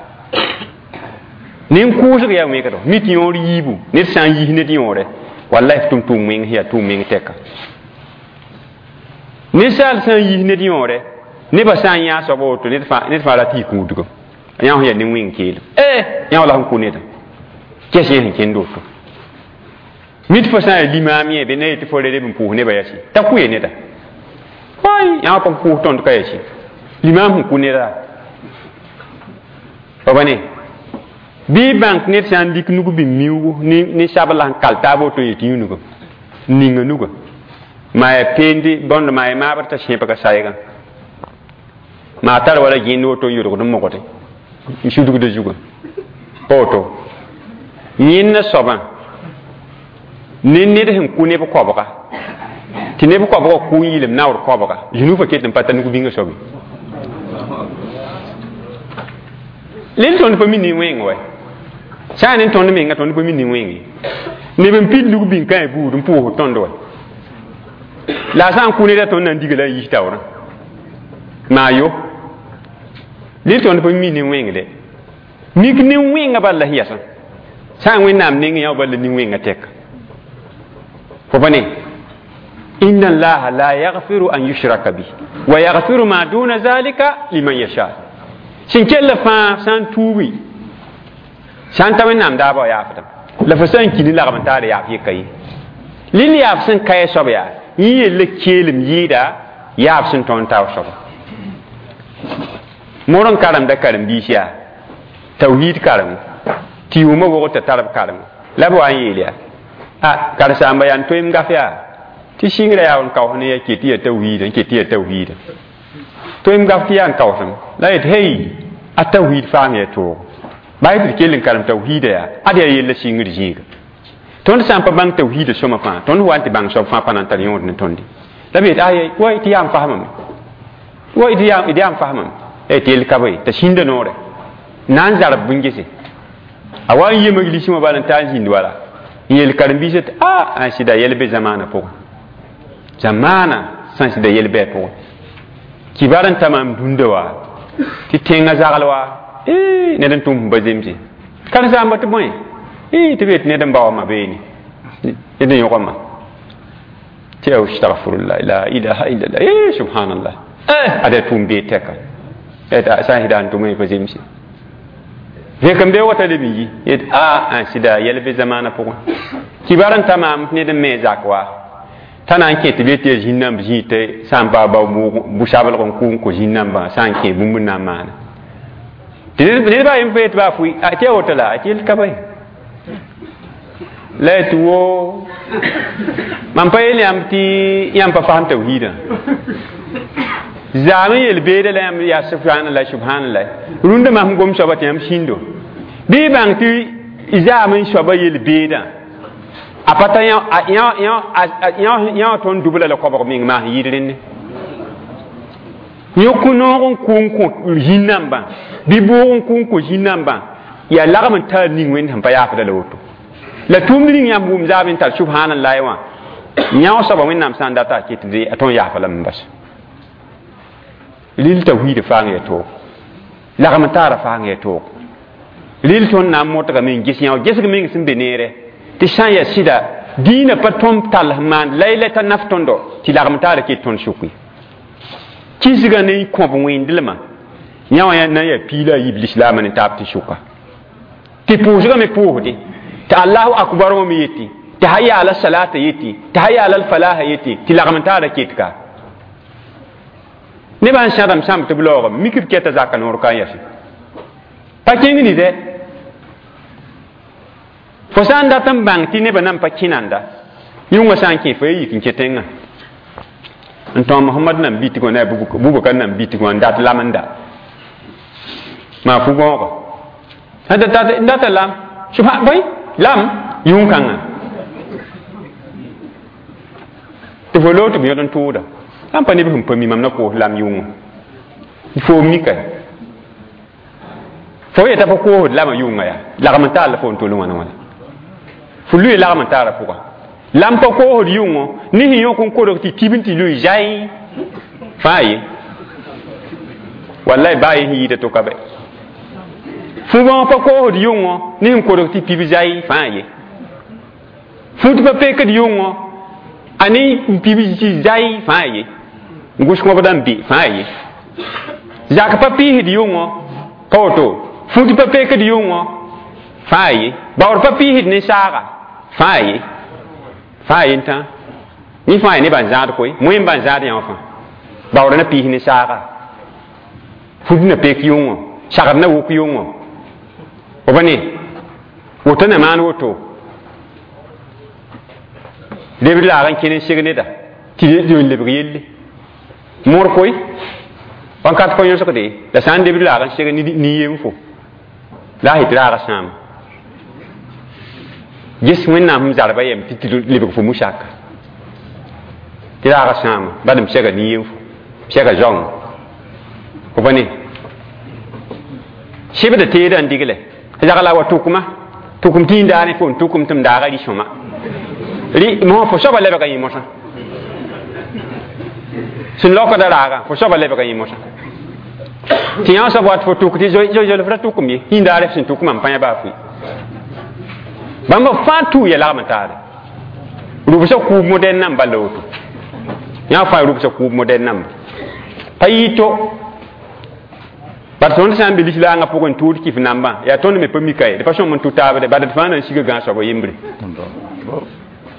nin-kʋʋsg yaa wẽgdo mi tɩ yõor yiibu ned sã n yis ned yõore wallahi f tʋm tʋʋm wẽng sẽn yaa tʋʋm meng tɛka ninsaal sã n yis ned yõore nebã sã n yã soaba woto ned fãa rat yɩ kũudgem yã sẽn yaa nin-wẽng keelem yã la sẽn kʋ nedã kɛs yẽ sẽn kẽnd woto mi tɩ fo sã n yaa limaam yẽ be na yetɩ fo re leb n pʋʋs nebã yasi t'a kʋ ye neda ay yã pa pʋʋs tõnd ka yasi limaam sẽn kʋ neda pa ba ne bɩ bãnk ned sã n dɩk nug bĩm miuugu ne sabl sẽn kal taab woto yetɩ yũnugã n ninga nugã maa yaa peendi bõnd maa yaa maabr t'a sẽbga saygã maa tar wala gẽnd woto n yodgd n mogde n sudgda zugã pa woto yẽnna soabã ne ned sẽn kʋ neb koabga tɩ neb koabgã kʋ n yɩlem naoor koabga zũnufã ket n pa ta nug-bĩngã soabe lel tõnd pa mi nin-wẽng wɛ sã n ne tõnd menga tõnd pa mi nin-wẽng ye neb n pid nug-bĩng kãe buud n pʋʋsd tõnd wɛ la a sã n kʋ neda tõnd na n diga la n yis taoorã maa yo lel tõnd pa mi nin-wẽng de mik nin-wẽngã bal la sẽn yasã sã n Wẽnnaam nengẽ yã bal la nin-wẽngã tɛka fo pa ne inna allaha la yaghfiru an yushraka bih wa yaghfiru ma duna zalika liman yasha sẽn kell fãa sã n tuubi sã n ta Wẽnnaam daabã wa yaafdame la fo sã n ki ne lagm n taar yaaf yeka ye lil yaaf sẽn ka soab yaa Yẽ yella keelem yɩɩda yaab sẽn tõnd taoor soaba. Moor n karemda karen-biis yaa tawhiid karem tɩ yʋʋmã wogd t'a tar b karem la b wa n yeel yaa a karen-saamba yaa n toeem gaf yaa tɩ sɩngrã yaa n kaoos ne ya ket tɩ yaa tawhiida n ket tɩ yaa tawhiida toeem gaf tɩ yaa n kaoosem la yet hey a tawhiid faam yaa toogo baa tɩ d kell n karem tawhiida yaa ad yaa yella sɩngr zĩiga tõnd sã n pa bãng tawhiida sõma fãa tõnd wa n tɩ bãng soab fãa pa na n tar yõod ne tõndi la b yet ay wa tɩ yaa n fasamame wa d yaa n fasamame tɩ yell ka bõe t'a sĩnda noore na n zarb bũn-gese a wa n yemg lisẽ wã bala n taa n zĩnd wala n yeel karen-biisã tɩ a n sɩda yɛl be zamaanã pʋgẽ zamaanã sẽn sɩda yɛl bɩ a pʋgẽ kibar n ta maam dũnda wa tɩ tẽngã zagl wa ned n tʋm sẽn pa zemse karen-saamba tɩ bõe tɩ b yet ned n baoama beene ned n yõgama tɩ astagfirullah la ilaha illallah subhanallah ada tʋʋm bee tɛka sã n sɩda n tʋm pa zemse vẽk n bee wata leb n yi yet a n sɩda yɛl be zamaanã pʋgẽ kibar n ta maam tɩ ned n me zak wa t'a na n kẽ tɩ b yet tɩ yaa zĩn-nãmb zĩig tɩ sã n baa bao bʋ-sablg n kʋ n kõ zĩn-nambã sã n kẽ bũmb n na n maana tɩ ned baa yem pa yet baa fʋɩ tɩ yaa woto la tɩ yel ka bõe la tɩ wo mam pa yeel yãmb tɩ yãmb pa fasem tawhiidã zaam n yel beeda la yãmb yaa subhanallah subhanallah rũndã mam gom soaba tɩ yãmb sĩndo bɩ bãng tɩ zaam n soaba yel beedã a pa ta yã tõnd dubla la koabg meng maa sẽn yɩɩd rẽnne yõk noog n kʋ n kõ zĩn-nambã bɩ bʋʋg n kʋ n kõ zĩn-nambã yaa lagm n taa ning wẽnd sẽn pa yaafda la woto la tʋʋmd ning yãmb wʋm zaam n tar subhanallah wã yã soaba wẽnnaam sã n data a ket a tõnd yaafa lame n bas rɩl tawhiidã faang yaa toog lagm n taara faang yaa toog rɩl tõnd na n modgame n ges yã gesg meng sẽn be neere tɩ sã n yaa sɩda dĩinã pa tõnd tall sẽn maan la y t'a naf tõndo tɩ lagm taara ket tõnd sʋk ye kisgã ne kõb wẽndlmã yã wã na n yaa piila a yiib lislaamã ne taab tɩ sʋka tɩ pʋʋsgã me pʋʋsde tɩ allahu akbar wã me yetɩ tɩ hayya ala salata yetɩ tɩ hayya ala falaha yetɩ tɩ lagm n taara ket ka nebã n sãdem sãmb tɩ b laoogame mik b kɛta zaka noor ka n yase pa kẽng ni dɛ fo sã n dat n bãng tɩ nebã nan pa kẽnanda yʋngã sã n kẽ fo ya yik n kẽ tẽngã n tõog Mohamad nan bitg wã ne a Bubakar nan bitg wã n dat lam n da maa fu-gõoga n data lam subhan bõe lam yʋng-kãngã tɩ fo loog tɩ b yõd n tʋʋda sã n pa neb sẽn pa mi mam na koos lam yʋngã fo mika fo yeta pa koosd lamã yʋngã yaa lagm n taar la fo n tol wãna wãna fo lʋɩ lagm n taarã pʋga lam pa koosd yʋngõ ne sẽn yõk n kodg tɩ tib n tɩ lʋɩ zai fãa ye wallahi baa ye sẽn yɩɩda to ka bɛ fu-bãong pa koosd yʋngõ ne sẽn kodg tɩ pib zai fãa ye fut pa pekd yʋngõ a ne n pib tɩ zai fãa ye n gʋs kõbda n be fãa ye zak pa pɩɩsd yʋngõ pa woto fut pa pekd yʋngõ fãa ye baood pa pɩɩsd ne saaga fãa ye fãa ye n tã yẽ fãa ye nebã n zãad koe moẽ n bã n zãad yã wã fãa baood na pɩɩs ne saaga fut na pek yʋngõ sagd na wʋk yʋngõ fo pa ne woto na maan woto lebd laag n kẽn n seg neda tɩ n lebg yelle moor koe wãnkat pa yõsgde la sã n lebd laag n seg nin-yem fo la a yetɩ raaga sãama ges wẽnnaam sẽm zarba yɛm tɩ tɩ lebg fo musaka tɩ raaga sãama bad m sega nin-yem fo sega zaoŋ fo pa ne sɩbda teedã n digle zagla wa tʋkma tʋkm tɩ daane fo n tʋkm tɩ m daaga rɩ-sõma rɩ mosã fo soaba lebga yẽ mosã sẽn laokda raagã fo soaba lebga yẽ mosã tɩ yã soab wat fo tʋk tɩ zoe f ra tʋkm ye yĩndaare f sẽn tʋkmã n pa yã baa fʋɩ bãmba fãa tuu ya lagm taare rʋbsã kʋʋb modɛn namba la woto yã fãa rʋbsã kʋʋb modɛn namba pa yɩ to bar tõnd sã n be lislaangã pʋgẽ tʋʋd kɩf nambã yaa tõnd me pa mika ye d pa sõm n tʋ taabde bad d fãa na n siga gãag soaba yembre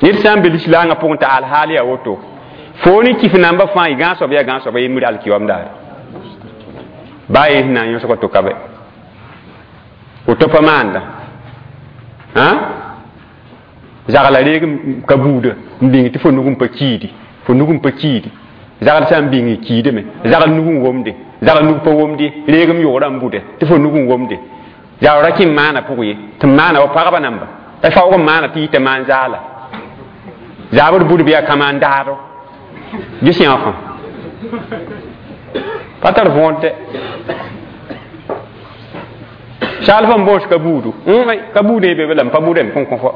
ned sã n be lislaangã pʋgẽ t'a alhaal yaa woto Fo ni kif namba fãa y gãag soab yaa gãag soaba yembr alkiwaam daare baa ye sẽn na n yõsg to ka bɛ woto pa maanda zagla reeg ka buuda n bĩng tɩ fo nug n pa kiidi fo nug n pa kiidi zagl sã n bĩng y kiidame zagl nug n womde zagl nug pa womde reeg m yogrã n bude tɩ fo nug n womde zagl ra kẽ n maana pʋg ye tɩ n maana wa pagba namba la faoog n maana tɩ yita maan zaala zaabd budb yaa kãmaan daado ges yã fãa pa tar võod dɛ saal fãn boos ka buudu ka buud ye be la n pa buda m kõn kõ fo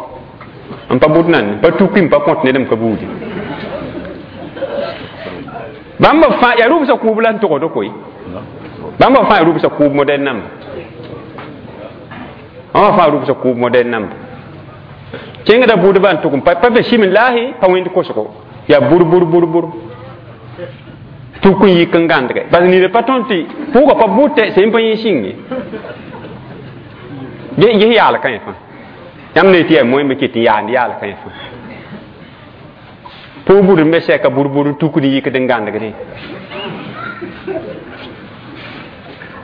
n pa bud nan pa tuki n pa kõt ned m ka buudi bãmb fãa yaa rʋbsã kʋʋb la n togd koe bãmb fãa yaa rʋbsã kʋʋb modɛl namba bãmb fãa rʋbsã kʋʋb modɛl namba kẽngda budbã n tʋg n pa be simillaahi pa wẽnd kosgo yaa bur bur bur bur tuk n yik n gãndge bas nida pa tõnd tɩ pʋʋga pa bʋtɛ sẽn pa yẽ sĩng ye ges yaal kã fãa yãmb ne tɩ yaa moẽmbe ket n yaand yaal kã fãa pʋʋg bud n be sɛka bur bur n tukd n yikd n gãndgdẽ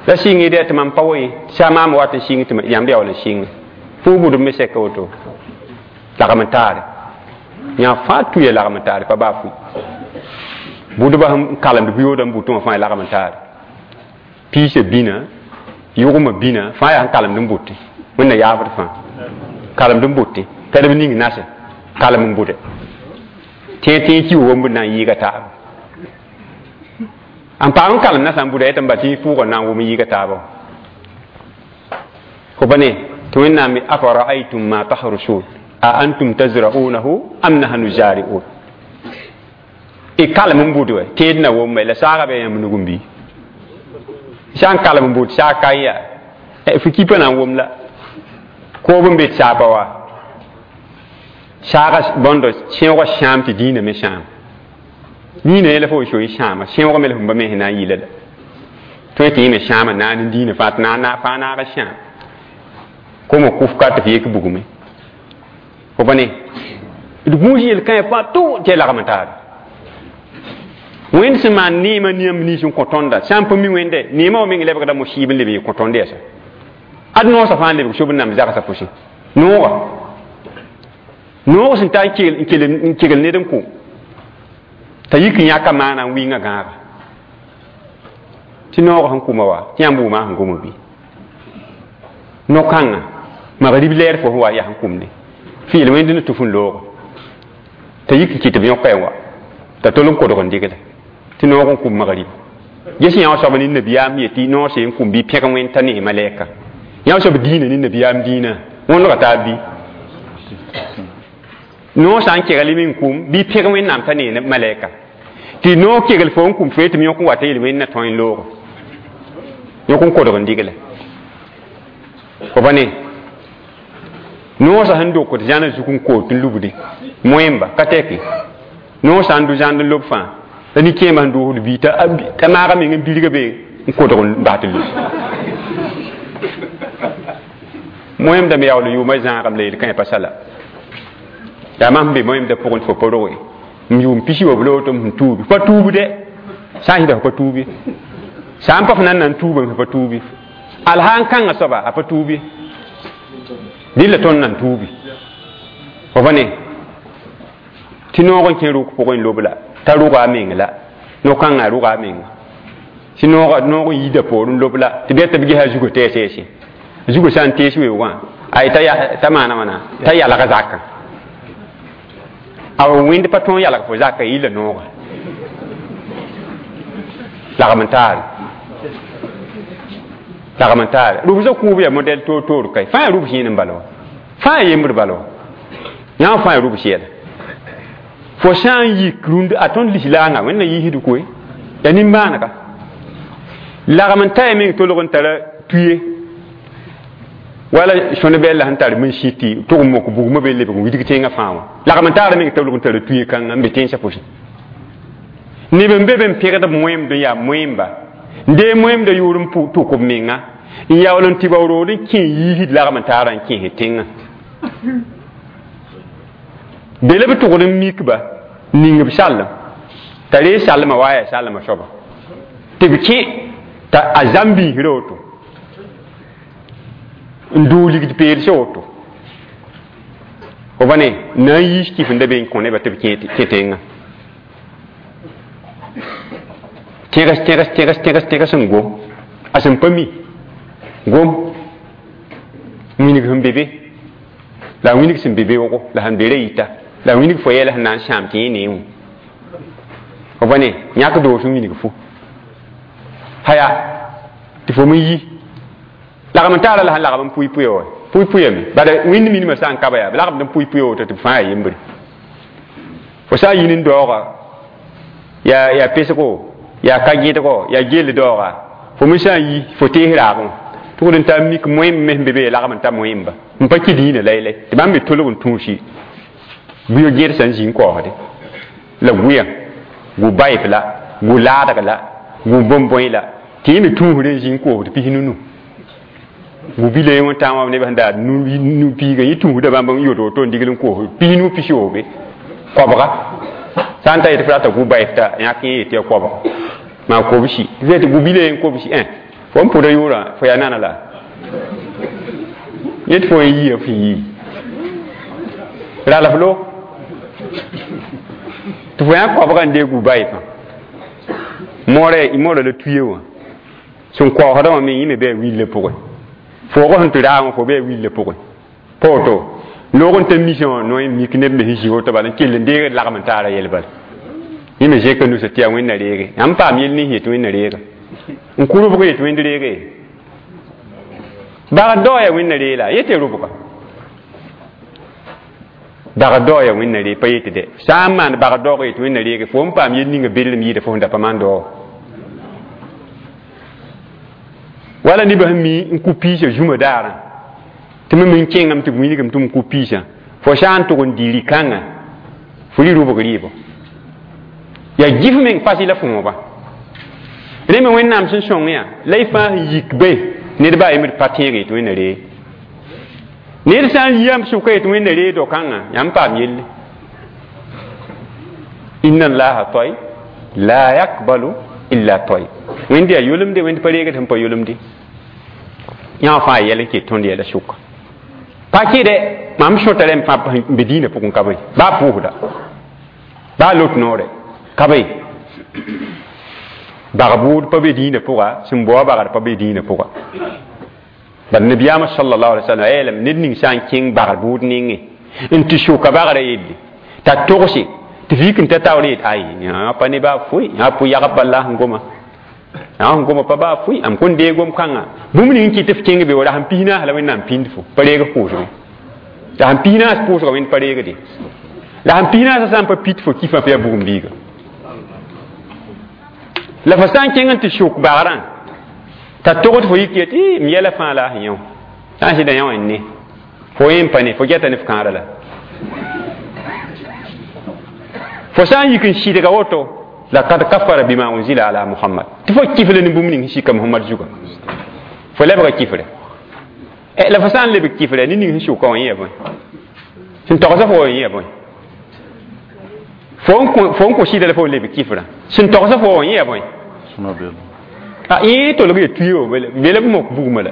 la sɩng dɛ tɩ mam pa wa ye sã maam wat n sɩng tɩ yãmb yaool n sɩnge pʋʋg bud n be sɛka woto lagm n taare yã fãa tuya lagm n taare pa baa fui budba sẽn kalemd bʋyooda n butẽ wã fãa lagm n taare piisã bĩna yʋgmã bĩna fãa yaa sẽn kalemd n bʋtẽ wẽnna yaafd fãa kalemd n bʋtẽ pɛdb ning nase kalem n bʋde tẽeg ki womb na n yɩɩga taaba n paam n kalem nasã n bʋda yetɩ n ba tɩ pʋʋgã na n wʋm n yɩɩga taaba fo pa ne tɩ wẽnnaam afara'aytum ma tahrusun a antum tazra'unahu am nahnu zari'un y kalem n bʋd wɛ teed na wʋm la saaga bɩ yãmb nug n bɩ sã n kalem n bʋd saag ka n yaa fo kipã na n wʋm la koob n be tɩ saag pa wa saaga bõndo sẽoogã sãam tɩ dĩinã me sãam dĩinã yɛla fo soe sãama sẽoogã me la fo ba me sẽn na n yɩla la tõe tɩ yẽ me sãama naan n dĩinã fãa tɩ fãa naaga sãam koma kʋf ka tɩ f yek bugme fo pa ne d gũus yel-kãe fãa tʋ tɩ ya lagm n taare wẽnd sẽn maan neemã yãmb nins n kõ tõnda sã n pa mi wẽnde neemã wã meng lebgda mosiib n leb n yɩ kõ tõnd yɛsa ad noosã fãa n lebg sob n namb zagsã pʋsẽ nooga noog sẽn ta n kegl ned n kõ t'a yik n yãka maana n wɩnga gãaga tɩ noogã sẽn kʋma wa tɩ yãmb wʋma sẽn goma bɩ no-kãngã magrib lɛɛr fo sẽn wa yaa sẽn kʋmde fɩɩl wẽnd ne tʋf n loogo t'a yik n kɩt b yõka wa t'a tol n kodg n dɩgda tɩ noog n kʋm magrib ges yã wã soab ne nabiyaam yetɩ noog sẽn kʋm bɩ pẽg wẽnd t'a ne malɛka yã wã soab dĩinã ne nabiyaam dĩinã wõnega taab bɩ noog sã n keglem n kʋm bɩ pẽg wẽnnaam t'a ne malɛka tɩ noog kegl fo n kʋm fo tɩ m yõk n wa t'a yel wẽnd na tõe n loogo yõk n kodg n dɩgla fo pa ne noosã sẽn dokd zãna zug n koot n lubde moẽmba ka tɛke noog sã n dʋ zãnd n lob fãa la nin-kẽemã sẽn doosd bii t'a maaga meng n bilga be n kodg n bas tɩ lub moẽmda me yaool yʋʋmã zãagame la yel-kãe pa sala yaa mam sẽn be moẽmda pʋgẽ tɩ fo pa roge m yʋʋm pisi wa b loog tɩ m sẽn tuubi pa tuubde sã n sɩda fo pa tuubi sã n pa f nan na n tuubame fo pa tuubi al sã n kãngã soaba a pa tuubi dɩlla tõnd nan tuubi fo pa ne tɩ noog n kẽ rʋk pʋgẽ n lob la t'a rʋga a meng la no-kãngã a rʋga a menga tɩ noog n yiida poor n lob la tɩ bɩ tɩ b gesa zugã tɛɛsɛɛse zugã sã n tees weoogã ay t'a maana wãna t'a yalga zakã a wẽnd pa tõog yalg fo zakã yɩla nooga lagm n taare lagm n taare rʋbsã kʋʋb yaa modɛl toor-toor kae fãa yaa rʋbs yẽn n bala wa fãa yaa yembd bala wa yã fãa yaa rʋbs yɛla fo sã n yik rũnd a tõnd lislaangã wẽnna yiisd koe yaa nimbãanega lagm n ta ya meng tolg n tara tuye wala sõne bɛlla sẽn tar min sɩ tɩ tʋg n mok bugmã be lebg n widg tẽngã fãa wã lagm n taara meng tolg n tara tuye kãngã n be tẽnsã pʋsẽ neb n be be n pẽgd b moẽmd n yaa moẽmba n dee moẽmda yʋʋr n tʋk b menga n yaool n tɩ ba rood n kẽ yiisd lagm n taara n kẽes tẽngã be la b tʋgd n mikba ning b sallem T'a ree salma wa yaa salma soaba tɩ b kẽ t'a a zãm biisra woto n doog ligd peelse woto fo ba ne na n yiis kif n da be n kõ nebã tɩ b kẽ tẽngã tẽgs tẽgs tẽgs tẽgs tẽgs n gom a sẽn pa mi gom winig sẽn be be la winig sẽn be beoogo la sẽn be ra yita la winig fo yɛla sẽn na n sãam tɩ yẽ neẽ fo ba ne yãk doos n winig fo haya tɩ fo me yi lagm n taara la sẽn lagm n pʋɩ-pʋya wa pʋɩ-pʋyame bala wẽnd minimã sã n ka ba yaa b lagmd n pʋɩ-pʋya woto tɩ b fãa yaa yembre fo sã n yĩn n daooga yaa pesgo yaa ka gẽdgo yaa gell daooga fo me sã n yi fo tees raabẽ tʋgd n taa mik moẽmb me sẽn be be lagm n ta moẽmba n pa kɩ dĩinã laylay tɩ bãmb me tolg n tũusi buyo gẽd sã n zĩ n kaoosde la gʋyã gu baɩf la gu laadg la gu bõn-bõe la tɩ yẽ me tũusd n zĩ n koosd pis nunu gu bila yẽ wẽn-tãag wã neb sẽn daad nu piiga yẽ tũusda bãmb n yod woto n digl n koos pis nu pisoobe koabga sã n ta yetɩ f rata gu baɩf t'a yãk yẽ yetɩ ya koabg maa kobsi tɩ gu bila yẽ kobsi ẽ fo n pʋda yʋʋrã fo yaa nana la yẽ tɩ fo n yiya f yii ralf lo tɩ fo yã koabga n deeg gu baɩfã moorã la tuye wã sẽn kaoosdã wã me yẽ me bɩ a willã pʋgẽ foog sẽn tɩ raag wã fo bɩ a willã pʋgẽ pa woto loog n ta misã wã noe n mik neb me sẽn zĩ woto bala n kell n deegd lagm n taara yɛl bala yẽ me zẽka nusa tɩ yaa wẽnna reege yãmb paam yell nins yetɩ wẽnna reega n kʋ rʋbg yetɩ wẽnd reege bagd dao yaa wẽnna ree la yetɩ rʋbga bagd dao yaa wẽnna ree pa yetɩ dɛ sã n maan bagd daoog yetɩ wẽnna reege fo n paam yel ninga bedlem yɩɩda fo sẽn da pa maan dao wala nebã sẽn mi n kʋ piisã zũma daarã tɩ me n kẽngame tɩ b wilgame tɩ m kʋ piisã fo sã n tʋg n dɩ rɩ-kãngã fo rɩ rʋbg rɩɩbɔ yaa gif meng fas la fõoba rẽ me wẽnnaam sẽn sõng yã la y fãa sẽn yik be ned baa yembd pa tẽeg yetɩ wẽnna ree ned sã n yiyam sʋka yetɩ wẽnna ree do-kãngã yãmb paam yelle inna allaha tayyib la yakbalu illa tayyib wẽnd yaa yolemde wẽnd pa reegd sẽn pa yolemde yã fãa yɛl n ket tõnd yɛla sʋka pa kɩdɛ mam sõta rẽmb fãa n be dĩinã pʋgẽ ka be baa pʋʋsda baa lot noorɛ ka be bag bʋʋd pa be dĩinã pʋga sẽn bao bagd pa be dĩinã pʋga bad nabiyaamã sallallahu alaihi wasallam a yeelame ned ning sã n kẽng bagd bʋʋd nengẽ n tɩ sʋka bagrã yelle t'a togse tɩ vik n ta taoor yet ay yã pa ne baa foe yã pʋ yagb bala sẽn goma yã sẽn goma pa baa foe am kõn deeg gom-kãngã bũmb ning n kɩt f kẽng be wa ra sẽn pis naas la wẽnnaam pĩnd fo pa reeg f pʋʋsge la sẽn pis naas pʋʋsga wẽnd pa reegde la sẽn pis naasã sã n pa pit fo kifã fo yaa bugum biiga la fo sã n kẽng n tɩ sʋk bagrã t'a togd fo yik yetɩ m yɛla fãa la a sẽn yẽ sã n sɩda yã wã n ne fo yẽ n pa ne fo gɛta ne f kãara la fo sã n yik n sɩdga woto laqad kafara bima unzila ala muhammad tɩ fo kifle ne bũmb ning sẽn sika muhammad zuga fo lebga kifre la fo sã n lebg kifre ne ning sẽn sʋka wã yẽ bõe sẽn togsa fo wã yẽ bõe fo n kõ sɩda la fo n lebg kifrã sẽn togsa fo wã yẽ bõe a yẽ tolg ya tuyo bela b mok bugmã la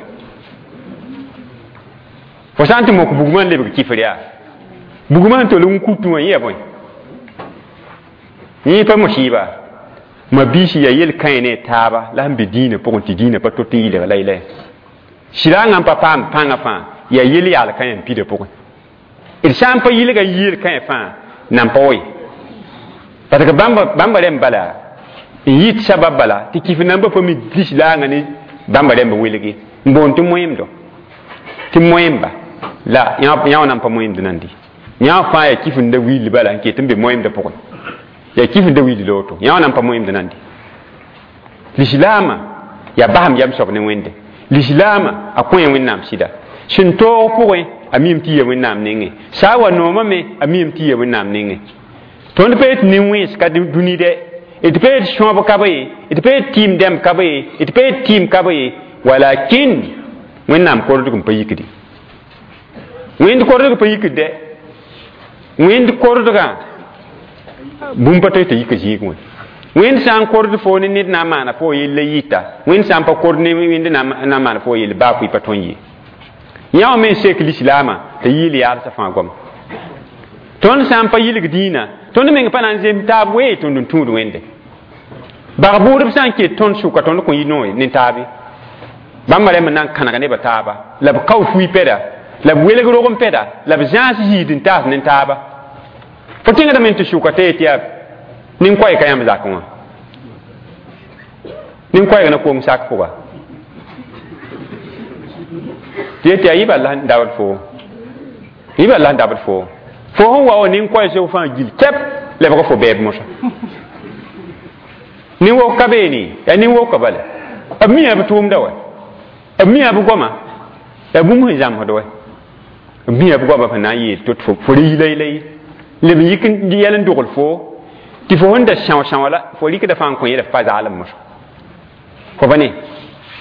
fo sã n tɩ mok bugmã n lebg kifr yaa bugmã sẽn tolg n kutu wã yẽ bõe yẽ pa musiba ma biisi yaa yel-kãe ne taaba la sẽn be dĩinã pʋgẽ tɩ dĩinã pa tot n yɩlg laylay sɩdangã n pa paam pãngã fãa yaa yel-yaal kãe n pida pʋgẽ d sã n pa yɩlga yel-kãe fãa nan pa woe parce que bãmba rẽmb bala n yɩt sabab bala tɩ kif nambã pa mi lislaangã ne bãmba rẽmb welge n boond tɩ moẽmdo tɩ moẽmba la yã wã nan pa moẽmd nandi yã fãa yaa kif n da willi bala n ket n be moẽmdã pʋgẽ yaa kif n da willi la woto yã wã nan pa moẽmd nandi lislaamã yaa basem yam soab ne wẽnde lislaamã a kõ ya wẽnnaam sɩda sẽn toog pʋgẽ a miime tɩ ya wẽnnaam nengẽ sã n wa noomã me a miime tɩ ya wẽnnaam nengẽ tõnd pa yetɩ nin-wẽns ka dũni dɛ d pa yetɩ sõab ka be d pa yetɩ tɩɩm dɛmb ka be d pa yetɩ tɩɩm ka be walakin wẽnnaam kordg n pa yikdi wẽnd kordg pa yikd dɛ wẽnd kordgã bũmb pa toe t'a yika zĩig wẽ Wẽnd sã n kord fo ne ned na n maana fo yell la yɩta, wẽnd sã n pa kord ne wẽnd na n maana fo yell baa fʋɩ pa tõe n ye. Yã wã me n sek lislaamã t'a yɩɩl yaalsã fãa goama. Tõnd sã n pa yilg dĩinã, tõnd meng pa na n zems taab wee tõnd n tũud wẽnde. Bag bʋʋdb sã n ket tõnd sʋka tõnd kõ yɩ noore ne taabe. Bãmba rẽmb n na n kãneg nebã taaba, la b kao fui pɛda, la b welg rog n pɛda, la b zãas zĩid n taas ne taaba. Fo tẽngdame tɩ sʋka t'a yet yaa nin-koɛɛg ka yãmb zakẽ wã. Nin-koɛɛg na koom sak pʋga. Tɩ yet yaa yɩ bala n dabd foo. Yɩ bala n dabd foo. Fo sẽn wa wa nin-koɛɛg sʋk fãa gil kɛp lebg fo bɛɛb mosã. Nin-wok ka beene, yaa nin-woka bala. B miã b tʋʋmda wa. B miã b goama. Yaa bũmb sẽn zãmsd wa. B miã b goama sẽn na n yeel tɩ fo re yi la leb n yik n yɛl n dogl fo tɩ fo sẽn da são-sãoa la fo rɩkda fãa n kõ yẽla f pa zaalem mosã. Fo pa ne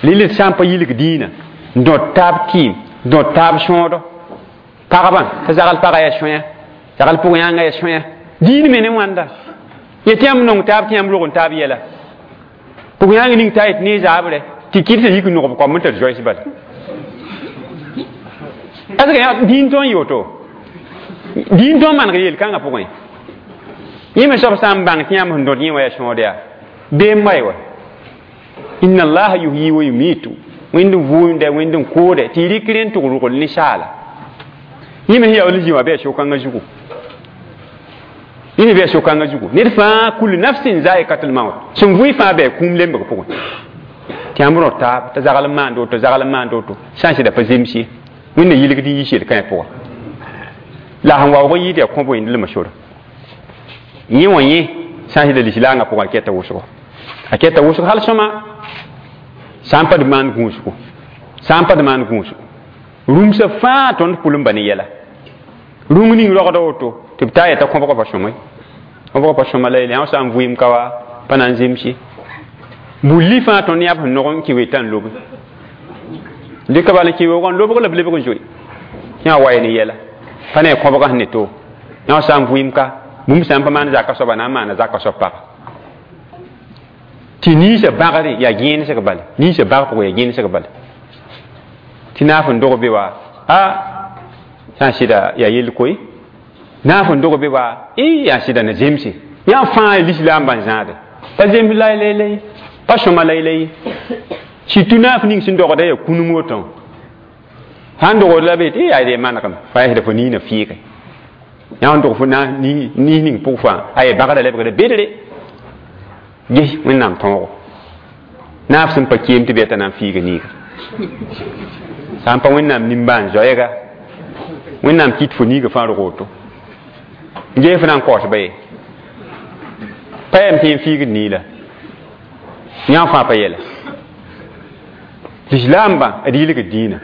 rɩl sã n pa yilg dĩinã n dõt taab kɩɩm, dõt taab sõodo. Pagba t'a zagl pagã yaa sõya, zagl pʋg yãnga yaa sõya. Dĩin me ne wãnda. Yetɩ yãmb nong taab tɩ yãmb rog n taab yɛla. Pʋg yãng ning t'a yet ne zaabre tɩ kɩd t'a yik n nogb koam n tar zoɛs bala. Est-ce que dĩin tõe n yɩ woto? Dĩin tõe n maneg yel-kãngã pʋgẽ. Yẽ me soab sã n bãng tɩ yãmb sẽn dõt yẽ wã yaa sõod yaa beem wa ye wa. Inna allaha yuhyi wa yumitu. Wẽnd n vʋʋmda, wẽnd n koode, tɩ y rɩk rẽ n tʋg rogl ninsaala. Yẽ me sẽn yaool n zĩ wã bɩ yaa so-kãngã zugu. Yẽ me bɩ yaa so-kãngã zugu. Ned fãa kul nafsin zaikatul maut. Sẽn vʋɩ fãa bɩ kũum lembg pʋgẽ. Tɩ yãmb rõ taab t'a zagl n maand woto, zagl n maand woto, sã n sɩda pa zems ye. Wẽnna yilgd n yiis yel-kãe pʋga. La sẽn waoog n yɩɩd yaa kõb wẽnd lema sora. Yẽ wã yẽ sã n sɩda lislaangã pʋgã a kɛta wʋsgo. A kɛta wʋsg hal sõma sã n pa d maan gũusgo. Sã n pa d maan gũusgo. Rũmsã fãa tõnd pʋl n ba ne yɛla. Rũng ning rogda woto tɩ b taa yeta kõbgã pa sõma ye. Kõbgã pa sõma la yelle, sã n vʋɩɩm ka wa pa na n zems ye. Bulli fãa tõnd yãb sẽn nog n kɩ wetã n lobe. Dɩka bala n kɩ weoogã n lobg la b lebg n zoe. Yã wa ye ne yɛla. Pa ne kõbgã sẽn ne to. Yã sã n vʋɩɩm ka bũmb sã n pa maan zaka soaba na n maana zaka soab paga. Tɩ ninsã bagre yaa gẽenesg bala. Ninsã bag pʋgẽ yaa gẽenesg bala. Tɩ naaf n dog be wa a sã n sɩda yaa yell koe. Naaf n dog be wa yaa sɩda na zemse. Yã fãa lislaambã n zãade. Pa zems la la pa sõma la la ye. Surtout naaf ning sẽn dogda yaa kũnum woto. Sãn dogd la be tɩ yaa dee manegem fa yaa sɩda fo niinã fɩɩge. Yã n dog fo na niis ning pʋg fãa a yaa bagrã lebgda bedre. Ges Wẽnnaam tõogo. Naaf sẽn pa keem tɩ bɩ t'a na n fiiga niiga. Sã n pa Wẽnnaam nimbãan-zoɛɛga, Wẽnnaam kɩt fo niiga fãa rog woto. Ges fo na n kaoos ba ye. Pa yam tɩ n fiigd niila. Yã fãa pa yɛla. Lislaambã d yilgd dĩinã.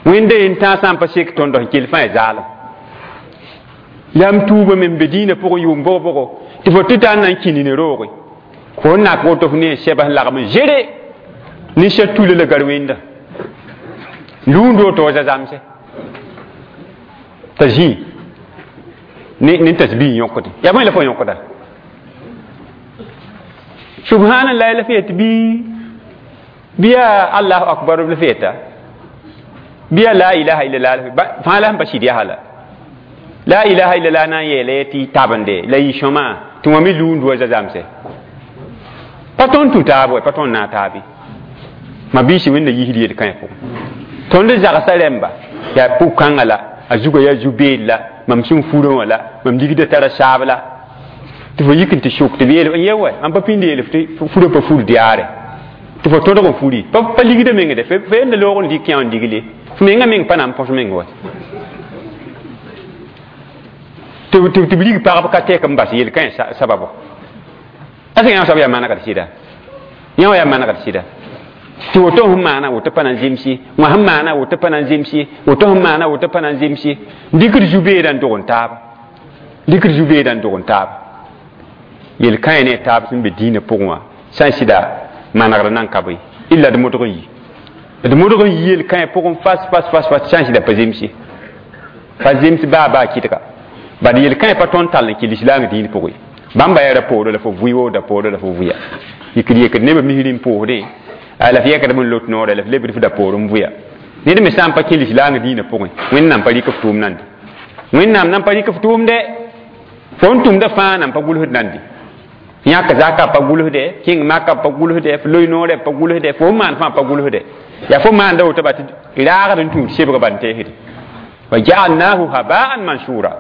Wẽnda yen tãag sã n pa sek tõnd sẽn kell fãa yaa zaalem. Yam tuubame n be dĩinã pʋgẽ yʋʋm bʋg-bʋgo tɩ fo tɩ taa n na n kĩ nina rooge. Fo n nak woto f ne sɛbs n lagm n zere ninsã tula la gar wẽnda. Lũund woto wa zãmse. T'a zĩ ne tasbih yõkde. Yaa bõe la fo yõkda? Subhanallah la f yet bɩ yaa Allahu akbar la f yeta. Bɩ yaa la ilaha illallah fãa la sẽn pa sɩd yaa la. La ilaha illallah na n yeela tɩ tabende la yɩ sõma tɩ wã me lũund wa zãmse. Pa tõnd tũ taab wa, pa tõnd naag taabe. Ma biisi Wẽnna yisd yel-kãe pʋgẽ. Tõnd zagsa rẽmba yaa pʋg-kãngã la, a zugã yaa zu-beed la, mam sẽn furã wã la, mam ligda tara saab la. Tɩ fo yik n tɩ sʋk tɩ b yeel n ye wa, mam pa pĩnd yeel tɩ furã pa fur diaare. Tɩ fo tõdg n furi. Pa ligda mengde, fo yenda loog n dɩk yã n digle. Fo menga meng pa na n põs meng wa. Tɩ b rig pagb ka tɛk n bas yel-kãe sababo. Est-ce que yã soab yaa manegd sɩda? Yã wã yaa manegd sɩda. Tɩ woto sẽn maana woto pa na n zems ye, wã sẽn maana woto pa na n zems ye, woto sẽn maana woto pa na n zems ye. Dɩkd zu-beedã n dog n taaba. Dɩkd zu-beedã n dog n taaba. Yel-kãe ne taab sẽn be dĩinã pʋgẽ wã sã n sɩda manegd nan ka bõe. Illa d modg n yi. D modg n yi yel-kãe pʋgẽ fas fas fas fas sã n sɩda pa zems ye. Pa zems baa baa kɩdga. Bad yel-kãe pa tõnd tall n kɩ lislaang dĩin pʋgẽ. Bãmba yaa ra-poorã la fo vʋɩ wo da-poorã la fo vʋya. Yikd yekd nebã misri n pʋʋsdẽ, la f yɛkdame n lot noorã la f lebd f da-poor n vʋya. Ned me sã n pa kẽ lislaang dĩinã pʋgẽ, Wẽnnaam pa rɩk f tʋʋm nande. Wẽnnaam nan pa rɩk f tʋʋmdɛ. Fo n tʋmda fãa nan pa gʋlsd nande. Yãk zaka pa gʋlsdɛ, kẽng maka pa gʋlsdɛ, f loe noorɛ pa gʋlsdɛ, fo n maan fãa pa gʋlsdɛ. Yaa fo maanda woto ba tɩ raagd n tũud sebg bal n teesde. Wa jaalnahu habaan mansura.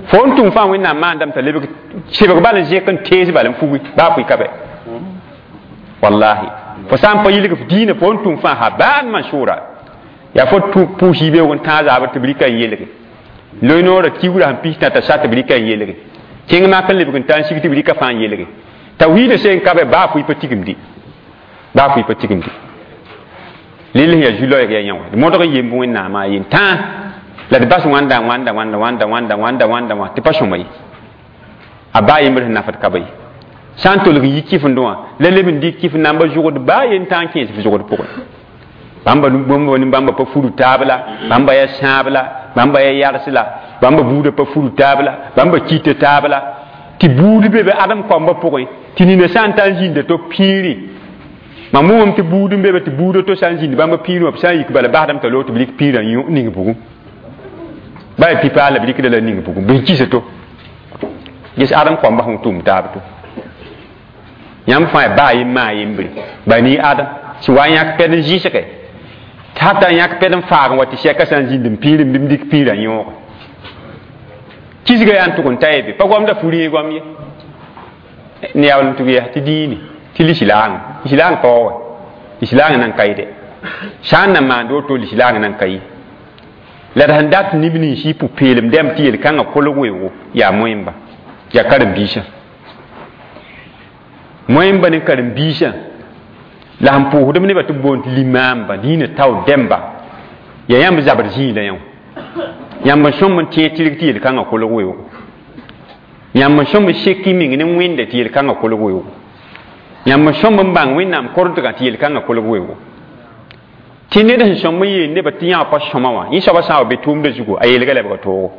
Fo n tʋm fãa Wẽnnaam maandame t'a lebg sebg bal n zẽk n tees bal n fugi baa pʋɩ ka bɛ. Wallahi. Fo sã n pa yilg f dĩinã fo n tʋm fãa habaan mansura. Yaa fo pʋʋs yibeoog n tãag zaabr tɩ b rɩka n yelge. Loe noorã kiugrã sẽn pis tã t'a sa tɩ b rɩka n yelge. Kẽng mak n lebg n ta n sig tɩ b rɩka fãa n yelge. Tawhiidã seen ka bɛ baa fʋɩ pa tigimdi. Baa fʋɩ pa tigimdi. Lel sẽn yaa zu-loɛɛg yaa yã wã. D modg n yemb Wẽnnaamã a yen tãa la d bas wãnda wãnda wãnda wãnda wãnda wãnda wãnda wã tɩ pa sõma ye. A baa yembr sẽn nafd ka ba ye. Sã n tolg n yi kɩfendẽ wã la leb n dɩk kɩf namba zʋgd baa yen tã n kẽes f zʋgd pʋgẽ. Bãmba bãmba bãmba pa furu taab la, bãmba yaa sãab la, bãmba yaa yars la, bãmba buudã pa furu taab la, bãmba kita taab la. Tɩ buud be be Adem koambã pʋgẽ, tɩ nina sã n ta n zĩnda to pĩiri. Mam wʋmame tɩ buud n be be tɩ buudã to sã n zĩnd bãmba pĩirẽ wã b sã n yik bala basdame t'a loog tɩ b rɩk pĩirã ning bugum. Baa yaa pi-paal la b rɩkda la ning bugum, bɩ n kisa to. Ges Adem koambã sẽn tʋm taab to. Yãmb fãa yaa baa yem maa yembre. Bani Adem sẽn wa n yãk pɛd n zɩsge. Tɩ hata n yãk pɛd n faag n wa tɩ sɛka sã n zĩnd n pĩir n bɩ m dɩk pĩirã yõoge. Kisga yaa n tʋg n ta ye be, pa goamda fu rẽeg goam ye. Ne yaool n tʋg yaa tɩ dĩini, tɩ lislaang, lislaang paoog wɛ, lislaang nan ka ye dɛ. Sã n na maand woto lislaang nan ka ye. La d sẽn dat neb nins y pʋ-peelem dɛmb tɩ yel-kãngã kolg weoogo yaa moẽmba, yaa karen-biisã. Moẽmba ne karen-biisã la sẽn pʋʋsdb nebã tɩ b boond tɩ limaamba, dĩinã tao dɛmba, yaa yãmb zabr zĩig la yã wã. Yãmb n sõm n tẽeg tɩrg tɩ yel-kãngã kolg weoogo. Yãmb n sõm n sek y meng ne Wẽnda tɩ yel-kãngã kolg weoogo. Yãmb n sõm n bãng Wẽnnaam korentgã tɩ yel-kãngã kolg weoogo. Tɩ ned sẽn sõm n yeel nebã tɩ yã pa sõma wã, yẽ soabã sã n wa be tʋʋmdã zugu, a yeelga lebga toogo.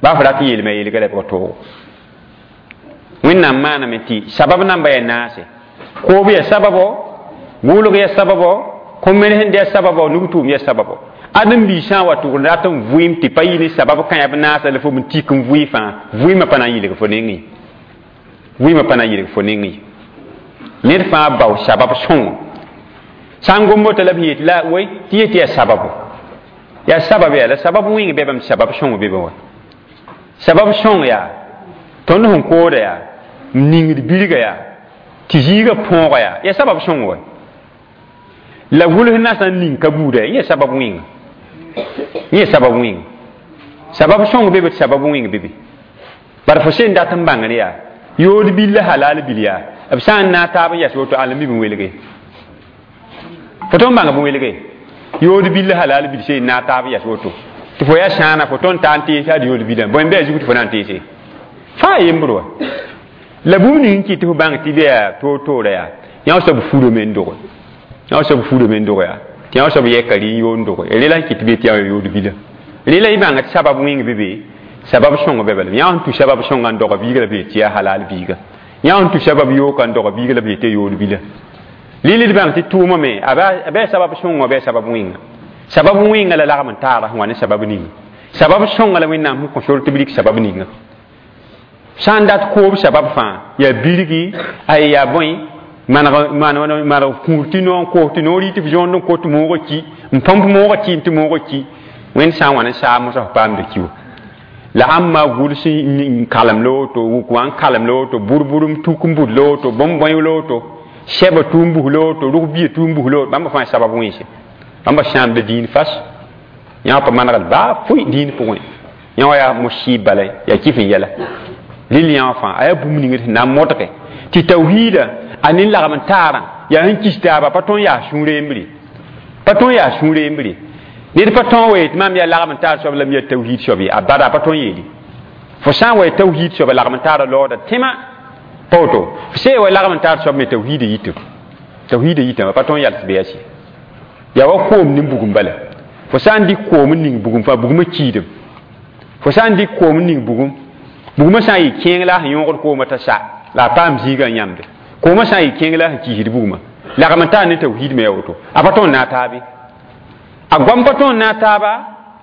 Baa f rat n yeelme a yeelga lebga toogo. Wẽnnaam maaname tɩ sabab namba yaa naase. Koob yaa sababo, gʋʋlg yaa sababo, kõ-menes yaa sababo, nug-tʋʋm yaa sababo. Ãdem-biig sã n wa tʋgd rat n vʋɩɩm tɩ pa yɩ ne sabab kã yaa b naasa la fo n tik n vʋɩ fãa, vʋɩɩmã pa na n yɩlg fo nengẽ. Vʋɩɩmã pa na n yɩlg fo nengẽ. Ned fãa bao sabab sõngo. Sã n gom woto la b yet la woe tɩ yet yaa sababo. Yaa sabab yaa la sabab wẽng be bãmb sabab sõng be be wa. Sabab sõng yaa tõnd sẽn kooda yaa n ningd bilga yaa tɩ zĩigã põoga yaa yaa sabab sõng wa. La gʋls na sã n ning ka buuda yaa sabab wẽnga. Yẽ sabab wẽnga. Sabab sõng be be tɩ sabab wẽng be be. Bara fo sẽn dat n bãngr yaa yood bil la halal bil yaa b sã n naag taab n yas woto ãn la mi bɩ welge. Fo tõnd bãnga bɩ welge. Yood bil la halal bil sẽn naag taab n yas woto. Tɩ fo yaa sãana fo tõnd ta n tees ad yood bilã. Bõe n bɩ a zug tɩ fo na n teese. Fãa yembr wa. La bũmb ning n kɩt tɩ fo bãng tɩ bɩ yaa toor-toora yaa yã soab furame n doge. Yã soab furame n doge yaa. Tɩ yã soab yɛka rɩ n yoon doge. Rela n kɩt bɩ tɩ yã yood bilã. Rela y bãnga tɩ sabab wẽng be be, sabab sõng be bala. Yã sẽn tũ sabab sõnga n doga biiga la b yet tɩ yaa halal biiga. Yã sẽn tũ sabab yooka n doga biiga la b yet tɩ yood bilã. Lili d bãng tɩ tʋʋmã me, a bɩ sabab sõnga bɩ sabab wẽnga. Sabab wẽnga la lagm n taara sẽn wa ne sabab ninga. Sabab sõnga la Wẽnnaam sẽn kõ sor tɩ b rɩk sabab ninga. Sã n dat koob sabab fãa, yaa birgi, ay yaa bõe, maneg kũur tɩ noor n koos tɩ noor yɩ tɩ f zõond n kot moogã ki, n põmp moogã tɩ tɩ moogã ki. Wẽnd sã n wa ne saam mosã f paamda ki wa. La ãmba gʋls n kalem la woto, wʋk wã n kalem la woto, bʋr-bʋr n tuk n bud la woto, bõn-bõe la woto, sɛba tʋʋm bus la woto, rʋg-bia tʋʋm bus la woto, bãmba fãa sabab wẽnse. Bãmba sãamda dĩin fas. Yã pa manegd baa fʋɩ dĩin pʋgẽ. Yã wã yaa musib bala, yaa kɩf n yɛla. Rɩl yã wã fãa, a yaa bũmb ning sẽn na n modge. Tɩ tawhiida, a nin lagm n taarã, yaa sẽn kis taaba, pa tõe n yaa sũur yembre. Pa tõe n yaa sũur yembre. Ned pa tõe n wa yet maam yaa lagm n taar soab la m yaa tawhiid soab ye, a bada pa tõe n yeele. Fo sã n wa tawhiid soaba lagm n taara laooda tẽma, pa woto. Fo sã n wa lagm n taar soab me tawhiida yitame. Tawhiida yitame, pa tõe n yals bɩ yaa sɩ. Yaa wa koom ne bugum bala. Fo sã n dɩk koom n ning bugum fãa, bugumã kiidem. Fo sã n dɩk koom n ning bugum, Bugmã sã n yɩ kẽeng la a sẽn yõogd koomã t'a sa la a paam zĩigã n yãmde. Koomã sã n yɩ kẽeng la a sẽn kiisd bugmã. Lagm n taa ne tawhiid me ya woto. A pa tõe n naag taabe. A goam pa tõe n naag taaba,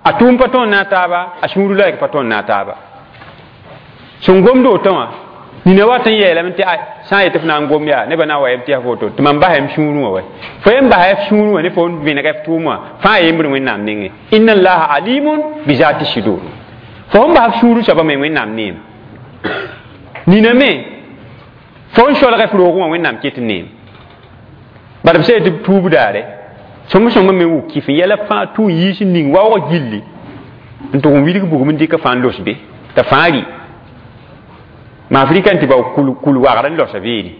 a tʋʋm pa tõe n naag taaba, a sũur laɛg pa tõe n naag taaba. Sẽn gomd woto wã, nina wat n yeelame tɩ sã n yetɩ f na n gom yaa nebã na n wa yem tɩ yaa fo woto tɩ mam basa m sũurẽ wã wa. Fo yem basa f sũurẽ wã ne fo n vẽneg f tʋʋm wã fãa yembr Wẽnnaam nengẽ. Inna allaha alimun bi zati sudur. Fo sẽn bas f sũurẽ soabã me Wẽnnaam neem. Nina me fo n solg f roogẽ wã Wẽnnaam ket n neem. Bala b sã tɩ b tuub daare sõng-sõngã me wʋk kɩf n yɛla fãa tʋ n yiis n ning waoogã gilli n tʋg n wilg bugum n dɩka fãa n los be t'a fãa rɩ. Ma Afrika n tɩ bao kul wagr n losa beene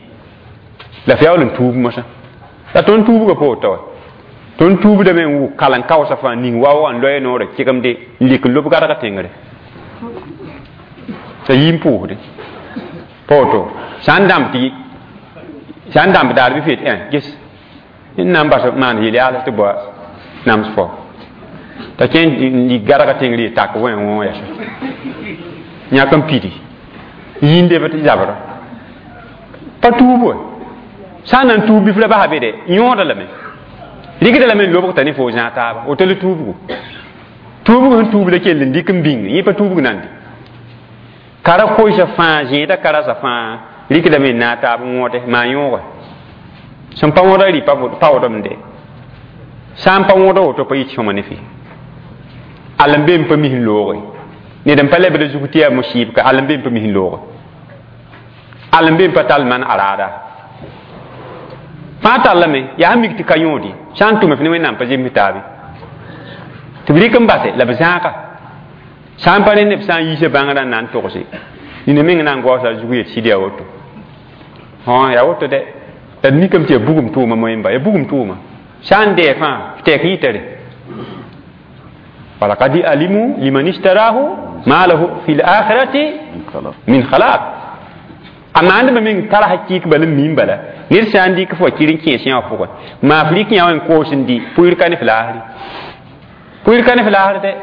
la f yaool n tuub mosã. La tõnd tuubgã pa woto wa. Tõnd tuubdame n wʋk kalen-kaoosã fãa ning waoogã n loe noorã kɩgemde n lik n lob gadgã tẽngre t'a yii n pʋʋsde pa woto. Sã n dãmb tɩ sã n dãmb daar bɩ f yet ges n na n bas maan yel-yaals tɩ boa nams fo t'a kẽ n lik gadgã tẽngr ye tak wẽ wõ yɛsa yãk n pidi yĩnde b tɩ zabra pa tuub wa. Sã n na n tuub bɩ f la basa be dɛ yõoda lame rɩkda lame n lobg t'a ne fo zãag taaba woto la tuubgo. Tuubg sẽn tuub la kell n dɩk n bĩng yẽ pa tuubg nande. Kara koɩsã fãa zẽeda karasã fãa rɩkdame n naag taab n wõode maa yõoga. Sẽn pa wõda rɩ pa wodem de. Sã n pa wõda woto pa yit sõma ne fɩ. All n be n pa mis n looge. Ned n pa lebd a zug tɩ yaa musɩɩb ka all n be n pa mis n looge. All n be n pa tall man a raada. Fãa tallame yaa sẽn mik tɩ ka yõode sã n tʋme f ne Wẽnnaam pa zems taabe. Tɩ b rɩk n base la b zãaga. Sã n pa rẽ neb sã n yiisa bãngrã n na n togse nina meng na n gaoosa a zug yet sɩd yaa woto. Yaa woto dɛ. La d mikame tɩ yaa bugum tʋʋma moẽmba, yaa bugum tʋʋma. Sã n dɛɛ fãa f tɛk yɩtare. Walaqad alimu liman ishtarahu ma lahu fi l-akhirati min khalaq. A maandbã meng tara hakɩɩk bala n miim bala ned sã n dɩk f wa kɩr n kẽes yã wã pʋgẽ maa f rɩk yã wã n koos n dɩ pʋɩr ka ne f laasre. Pʋɩr ka ne f laasr dɛ.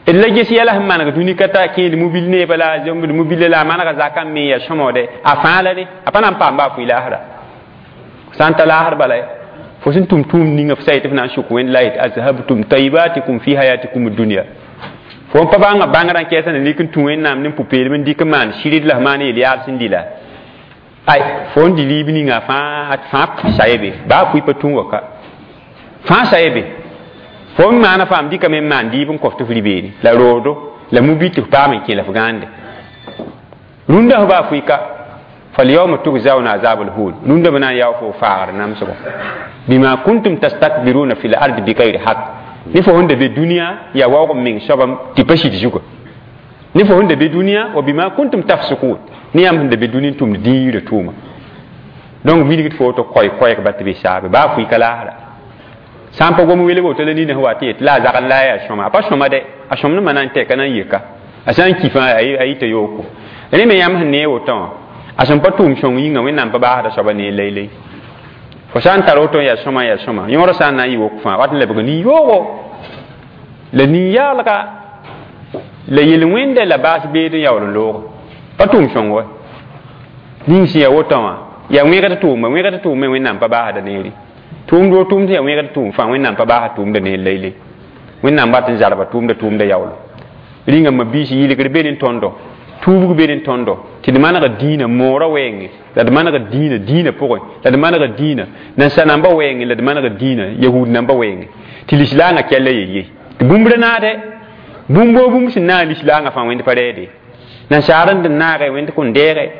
D la ges yɛla sẽn maneg dũni ka ta kẽed mobil neebã la zõmbd mobile la a manega zakã n me yaa sõmode a fãa la re a pa na n paam baa fʋɩ laasra. Sã n ta laasr bala fo sẽn tʋm tʋʋm ninga f sa yetɩ f na n sʋk wẽnd la yet azhabtum taibatikum fi hayatikum dunya. Fo n pa bãnga bãngrã n kɛɛsã na lik n tũ Wẽnnaam ne pʋ-peelem n dɩk n maan sɩrd la f maan yel-yaad sẽn dɩ la ay fo n dɩ liib ninga fãa fãa sa ye be baa pʋɩ pa tũ wa ka fãa sa ye be. Fo n maana faam dɩkame n maan dɩɩb n kõf tɩ f rɩ-beene la roodo la mubi tɩ f paam n kẽ la f gãande. Rũndã f baa fʋɩ ka falyawma tugzauna azab alhun rũndã b na n yao fo faagr namsgo bima kuntum tastakbiruna fi l-ardi bigayri haq. Ne fo sẽn da be dũniyã yaa waoog n meng soabam tɩ pa sɩd zuga. Ne fo sẽn da be dũniyã wa bima kuntum tafsukun ne yãmb sẽn da be dũni n tʋmd dĩirã tʋʋma. Donc wilgd fo woto koɛɛ-koɛɛg ba tɩ be saabe baa fʋɩ ka laasra. Sã n pa gom welg woto la nina sẽn wa tɩ yet la a zagl la a yaa sõma a pa sõma dɛ a sõmdmã na n tɛka na n yeka a sã n ki fãa a yita yooko. Rẽ me yãmb sẽn nee wotõ wã a sẽn pa tʋʋm sõng yĩnga Wẽnnaam pa baasda soaba nee laylay. Fo sã n tar woto n yaa sõma n yaa sõma yõodã sã n na n yɩ wok fãa wat n lebg nin-yoogo la nin-yaalga la yel-wẽnda la baas beed n yaool n looge pa tʋʋm sõng wa. Ning sẽn yaa wotõ wã yaa wẽgd tʋʋma wẽgd tʋʋme Wẽnnaam pa baasda neere. Tʋʋmd wo tʋʋmd yaa wẽgd tʋʋm fãa Wẽnnaam pa baasd tʋʋmda neer laylay. Wẽnnaam wat n zarba tʋʋmda tʋʋmda yaoolo. Rĩngã mabiis yɩlgr be ne tõndo tuubg be ne tõndo tɩ d manega dĩinã moorã wɛɛngẽ la d manega dĩinã dĩinã pʋgẽ la d manega dĩinã nansa-nambã wɛɛngẽ la d manega dĩinã yahud nambã wɛɛngẽ tɩ lislaangã kɛlla yel-ye tɩ bũmb ra naade bũmb woo bũmb sẽn naag lislaangã fãa wẽnd pa rɛɛde. Nansaar n dẽn naage wẽnd kõn deege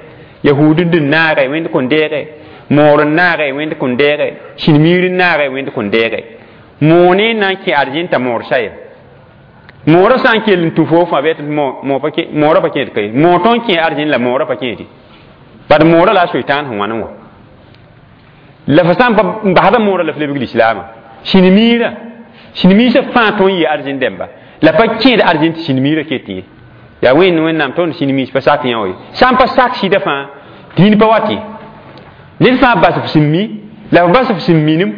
yahud n dẽn naage wẽnd kõn deege moor n naage wẽnd kõn deege sĩnmiir n naage wẽnd kõn deege. Moone n na n kẽ arzẽn t'a moor sa ye. Moorã sã n kell n tũ fo fãa bɩ moorã pa kẽed ka ye. Moor tõe n kẽ arzẽn la moorã pa kẽede. Bad moorã la a soitaan sẽn wãn n wa. La fo sã n pa n basda moorã la f lebg lislaamã. Sĩnmiirã, sĩnmiisã fãa tõe n yɩ arzẽn dẽmba. La pa kẽed arzẽn tɩ sĩnmiirã ket ye. Yaa wẽnd Wẽnnaam tõnd sĩnmiis pa sak yã wa ye. Sã n pa sak sɩdã fãa dĩin pa wat ye. Ned fãa bas f sẽn mi, la f bas f sẽn minim,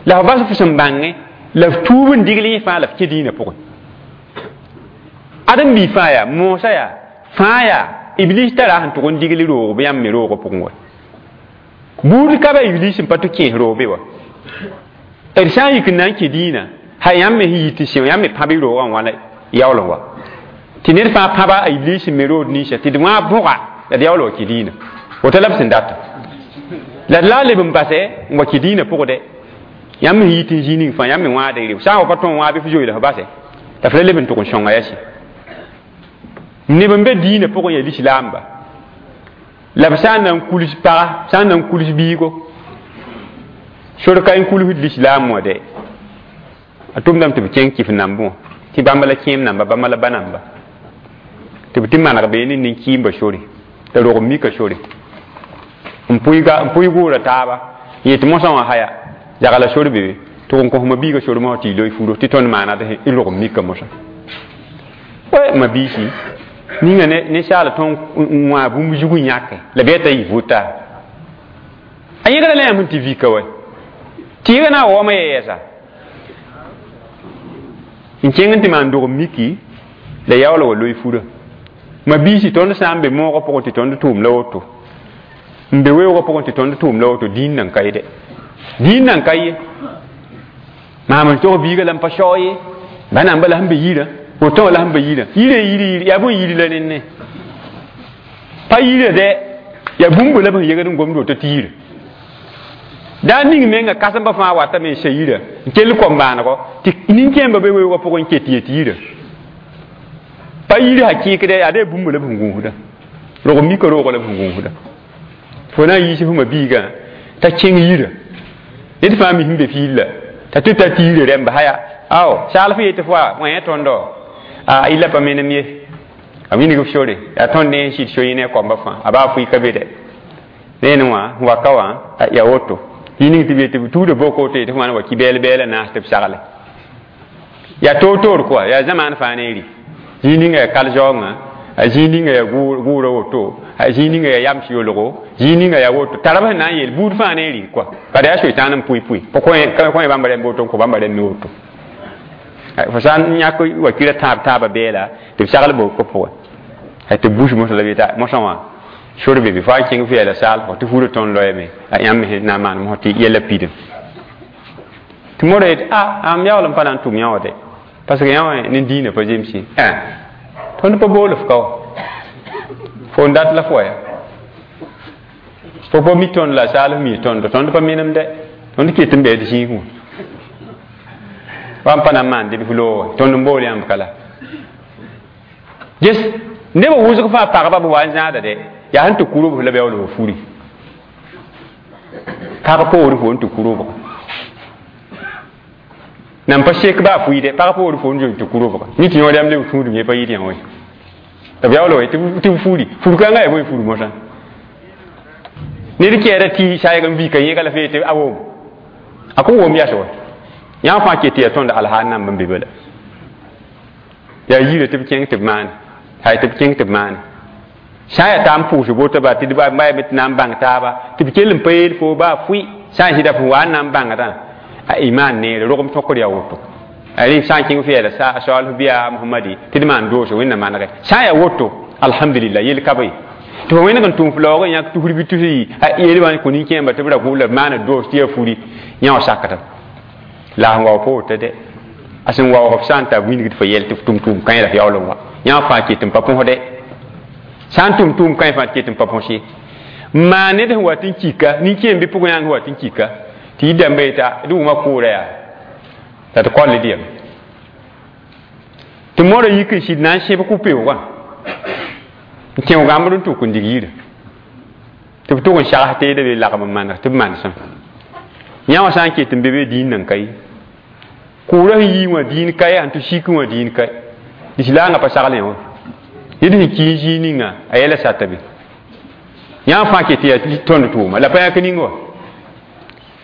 la f bas f sẽn bãngẽ, la f tuub n digl yẽ fãa la f kẽ dĩinã pʋgẽ. Ãdem-bi fãa yaa, moosã yaa, fãa yaa, Iblis tara sẽn tʋg n digl roog bɩ yãmb me roogã pʋgẽ wa. Buud ka ba Iblis n pa tɩ kẽes roog be wa. D sã n yik n na n kẽ dĩinã, ha yãmb me sẽn yit tɩ sẽo yãmb me pãb y roogã n wãna yaool n wa. Tɩ ned fãa pãba a Iblis n me rood ninsã tɩ d wã bõga la d yaool wa kẽ dĩinã. Woto la b sẽn data. La d la leb n basɛ n wa kẽ dĩinã pʋgdɛ. Yãmb me sẽn yit n zĩig ning fãa yãmb me wãada y reo. Sã n wa pa tõe n wãa bɩ f zoe la f basɛ. La f la leb n tʋg n sõnga yaa sɩ. Neb n be dĩinã pʋgẽ yaa lislaamba. La b sã n na n kuls paga, sã n na n kuls biigo. Sor ka n kulsd lislaam wã dɛ. A tʋmdame tɩ b kẽng kɩf nambẽ wã. Tɩ bãmba la kẽem namba, bãmba la ba namba. Tɩ b tɩ maneg beene nin-kɩɩmba sore. T'a rog n mika sore. N pʋɩ gʋʋra taaba. N yet mosã wã haya. Zagla sor be be. Tʋg n kos ma biiga sor mosã tɩ y loe furo. Tɩ tõnd maana d rog n mika mosã. Oe ma biisi. Ninga ninsaal tõnd n wã bũmb zug n yãke. La bɩ t'a yɩ vʋta. A yẽgda la yãmb n tɩ vika wa. Tɩ yẽga na n waooma yɛɛsa. N kẽng n tɩ maan dog n miki la yaool wa loe fura. Ma biisi tõnd sã n be moogã pʋgẽ tɩ tõnd tʋʋm la woto. N be weoogã pʋgẽ tɩ tõnd tʋʋm la woto dĩin nan ka ye dɛ. Dĩin nan ka ye. Maam n tog biiga la n pa sao ye. Ba namba la sẽn be yirã. Woto wã la sẽn be yirã. Yirã yiri yiri yaa bõe yiri la nenne. Pa yirã dɛ yaa bũmb la b sẽn yegd n gomd woto tɩ yira. Daa ning menga kãsembã fãa watame n sã yirã n kell kom-baanego tɩ nin-kẽembã be weoogã pʋgẽ n ket yet yirã. Pa yir sã kẽekdɛ yaa dee bũmb la b sẽn gũusda. Rog mika roogã la b sẽn gũusda. Fo na n yiis f ma biigã t'a kẽng yirã. Ned fãa mi sẽn be fiil la t'a tɩ ta tɩ yirã rẽmba haya. Ao saal f yetɩ fo wa wẽ tõndo a illa pa menem ye. A wilg f sore yaa tõnd ne n sɩd so yẽ ne a koamba fãa a baa fʋɩ ka be dɛ. Rẽnd wã waka wã yaa woto. Yĩng tɩ be tɩ b tuuda boko tɩ f wãn wa kɩ bɛɛl-bɛɛlã naas tɩ b sagle. Yaa toor-toor kɔa yaa zamaan fãa neeri. Zĩig ninga yaa kal-zaoongã, a zĩig ninga yaa gʋʋra woto, a zĩig ninga yaa yams yolgo, zĩig ninga yaa woto. Tara b sẽn na n yeel buud fãa neeri kɔa. Bala yaa soetãan n pʋɩ-pʋɩ. Pa kõ bãmba rẽmb woto n kõ bãmba rẽmb me woto. Fo sã n yãk wakirã tãab taabã bɛɛla tɩ b sagl boko pʋgẽ. Tɩ b bus mosã la b yeta mosã wã sor be be fo a kẽng f yɛla saal tɩ furã tõnd loeeme a yãmb me na n maan mosã tɩ yɛla pidem. Tɩ modã yetɩ a am yaool n pa na n tʋm yã wã dɛ. Parce que yã wã ne dĩinã pa zems ye. Tõnd pa bool f ka wa. Fo n dat la fo wa ya. Fo pa mi tõnd la saal f mi tõndo. Tõnd pa menem dɛ. Tõnd ket n bɩ d zĩig wã. Wa n pa na n maan dɩ f loog wa. Tõnd n bool yãmb ka la. Ges nebã wʋsg fãa pagba b wa n zãada dɛ. Yaa sẽn tɩ kurb la b yaool f furi. Pag poor fo n tɩ kurb. Nan pa sek baa fʋɩ dɛ pag poor fo n zoe tɩ kurb. Ni tɩ yõod yãmb leb tũudum ye pa yɩd yã wã. La b yaool wa tɩ b furi. Fur-kãngã yaa bõe fur mosã. Ned kɛɛda tɩ saayg n vika yẽga la f yetɩ a wom. A kõn wom yas wa. Yãmb fãa ket tɩ yaa tõnd alhaal namb n be bala. Yaa yirã tɩ b kẽng tɩ b maane. Hay tɩ b kẽng tɩ b maane. Sã n yaa t'a n pʋʋs boto ba tɩ d ba tɩ na n bãng taaba tɩ b kell n pa yeel fo baa fʋɩ sã n sɩda f wa n na n bãngdã a imaan neere rogem tõkr yaa woto. A rẽ sã n kẽng f yɛɛla saal f bɩa Mohamadi tɩ d maan doose Wẽnnaam manege. Sã n yaa woto alhamdulillah yel ka be. Tɩ fo wẽneg n tʋm f laoog n yãk tusr bɩ tus a yel wã kõ nin-kẽemba tɩ b ra gʋ la b maana doos tɩ yaa furi yã wã sakda. La sẽn waoog pa woto dɛ. A sẽn waoog f sã n tar wilgd fo yɛl tɩ f tʋm tʋʋm kãe la f yaool n wa. Yã fãa ket n pa põsdɛ. Sã n tʋm tʋʋm kãe fãa ket n pa põs ye. N maan ned sẽn wat n kika, nin-kẽem bɩ pʋgẽ yãng sẽn wat n kika, tɩ yɩ dãmba yeta d wʋma kʋʋra yaa la tɩ koal d yam. Tɩ modã yik n sɩd na n sẽb kʋ-peoogã n kẽ gãmbd n tʋk n dig yirã. Tɩ b tʋg n sags teedã be lagm n maneg tɩ b manesem. Yã wã sã n ket n be be dĩin nan ka ye. Kʋʋrã sẽn yii wã dĩin ka ye, sẽn tɩ sik wã dĩin ka ye. Lislaangã pa sagl yã wã. Ned sẽn ki n zĩig ninga a yɛla sata be. Yã fãa ket yaa tõnd tʋʋma la pa yãk ning wa.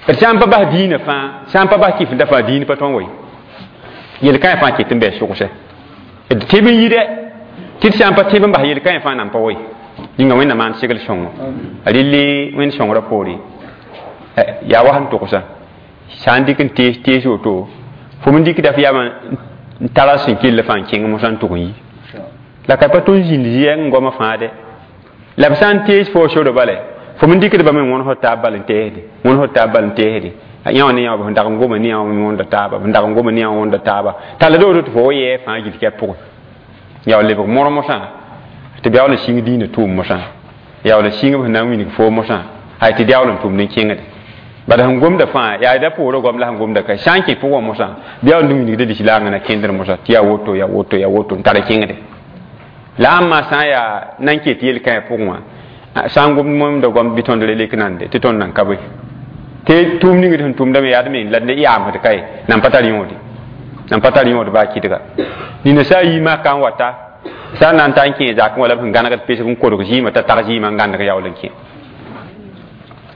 D sã n pa bas dĩinã fãa, sã n pa bas kɩfda fãa dĩin pa tõe n wa ye. Yel-kãe fãa ket n bɩ sʋgsɛ. D tɩb n yi dɛ, tɩ d sã n pa tɩb n bas yel-kãe fãa nan pa wa ye. Yĩnga Wẽnnaam maan segl sõngo. A relle Wẽnd sõngrã poore. Yaa wa sẽn tʋgsa. Sã n dɩk n tees tees woto, fo m dɩkda f yamã n tara sẽn kell fãa n kẽng mosã n tʋg n yi. La ka pa tõnd zĩnd zɩ n goamã fãa dɛ. La b sã n tees fo soro bale fo m dɩkd bame wõns taab bal n teesde, wõns taab bal n teesde. Yã wã ne yã wã, b sẽn dag n goma ne yã wã wõnda taaba, b sẽn dag n goma ne yã wã wõnda taaba, tall doodo tɩ fo wa yɛɛ fãa gill kɛp pʋgẽ. Yaa lebg mor mosã tɩ b yaool n sĩng diinã tʋʋm mosã, yaool n sĩng b sẽn na n wilg foo mosã, hay tɩ d yaool n tʋmd n kẽngde. Bala sẽn gomda fãa yaa da poorã goam la sẽn gomda ka sã n kẽ pʋgã mosã, bɩ yaool n wilgda lislaangã na kẽndr mosã tɩ yaa woto, yaa woto, yaa woto n tar kẽngde. La ãmba sã n yaa nan ket yel-kãe pʋgẽ wã, sã n gomd mõmda goam bɩ tõnd re lek nande tɩ tõnd nan ka bõe tɩ tʋʋm ning d sẽn tʋmdame yaa d meng la d yaamsd kae nan pa tar yõode, nan pa tar yõod baa kɩdga. Nina sã n yi maka n wata, sã n na n ta n kẽ zakẽ wala b sẽn gãnegd pesg n kodg zɩɩmã t'a tag zɩɩmã n gãneg yaool n kẽ.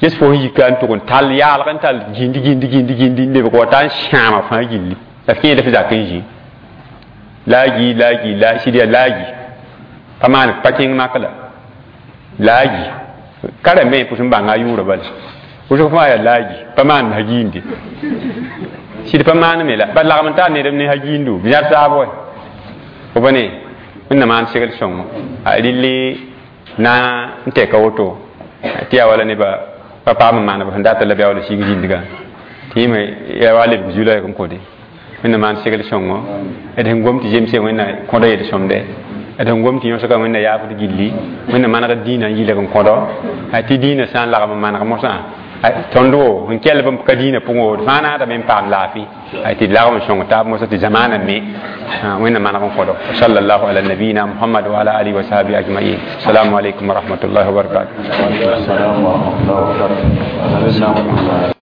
Ges fo sẽn yika n tʋg n tall yaalg n tall gĩndi gĩndi gĩndi gĩndi n lebg wata n sãama fãa gilli la f kẽeda f zak n zĩ la a gi la a gi la sɩd yaa la a gi pa maan pa kẽng mak la la a gi ka rãmbẽ pʋs n bãnga a yʋʋrã bala wʋsg fãa yaa la a gi pa maan ha giinde sɩd pa maaneme la ba lagm n tar nedb ne ha giindo b yãd taab wa fo pa ne wẽnna maan segl sõngo a rɩlli na n tɛka woto tɩ yaa wala nebã pa paam n maan b sẽn data la b yaool n sig zĩndgã tɩ yẽme yaa wa lebg zu-laɛg n kõde. Wẽnna maan segl sõngo d sẽn gom tɩ zemse wẽnna kõdo yel-sõmde, d sẽn gom tɩ yõsga wẽnna yaafd gilli, wẽnna manegd dĩinã n yɩlg n kõdo tɩ dĩinã sã n lagm n maneg mosã tõnd wo n kell b ka dĩinã pʋgẽ wo d fãa naadame n paam laafɩ tɩ d lagm n sõng taab mosã tɩ zamaanã me wẽnna maneg n kõdo. Sallallahu ala nabiyina Muhammad wa ala alihi wa sahbihi ajmain. Assalamu alaikum wa rahmatullahi wa barakatuh. Wa alaikum assalam wa rahmatullahi wa barakatuh.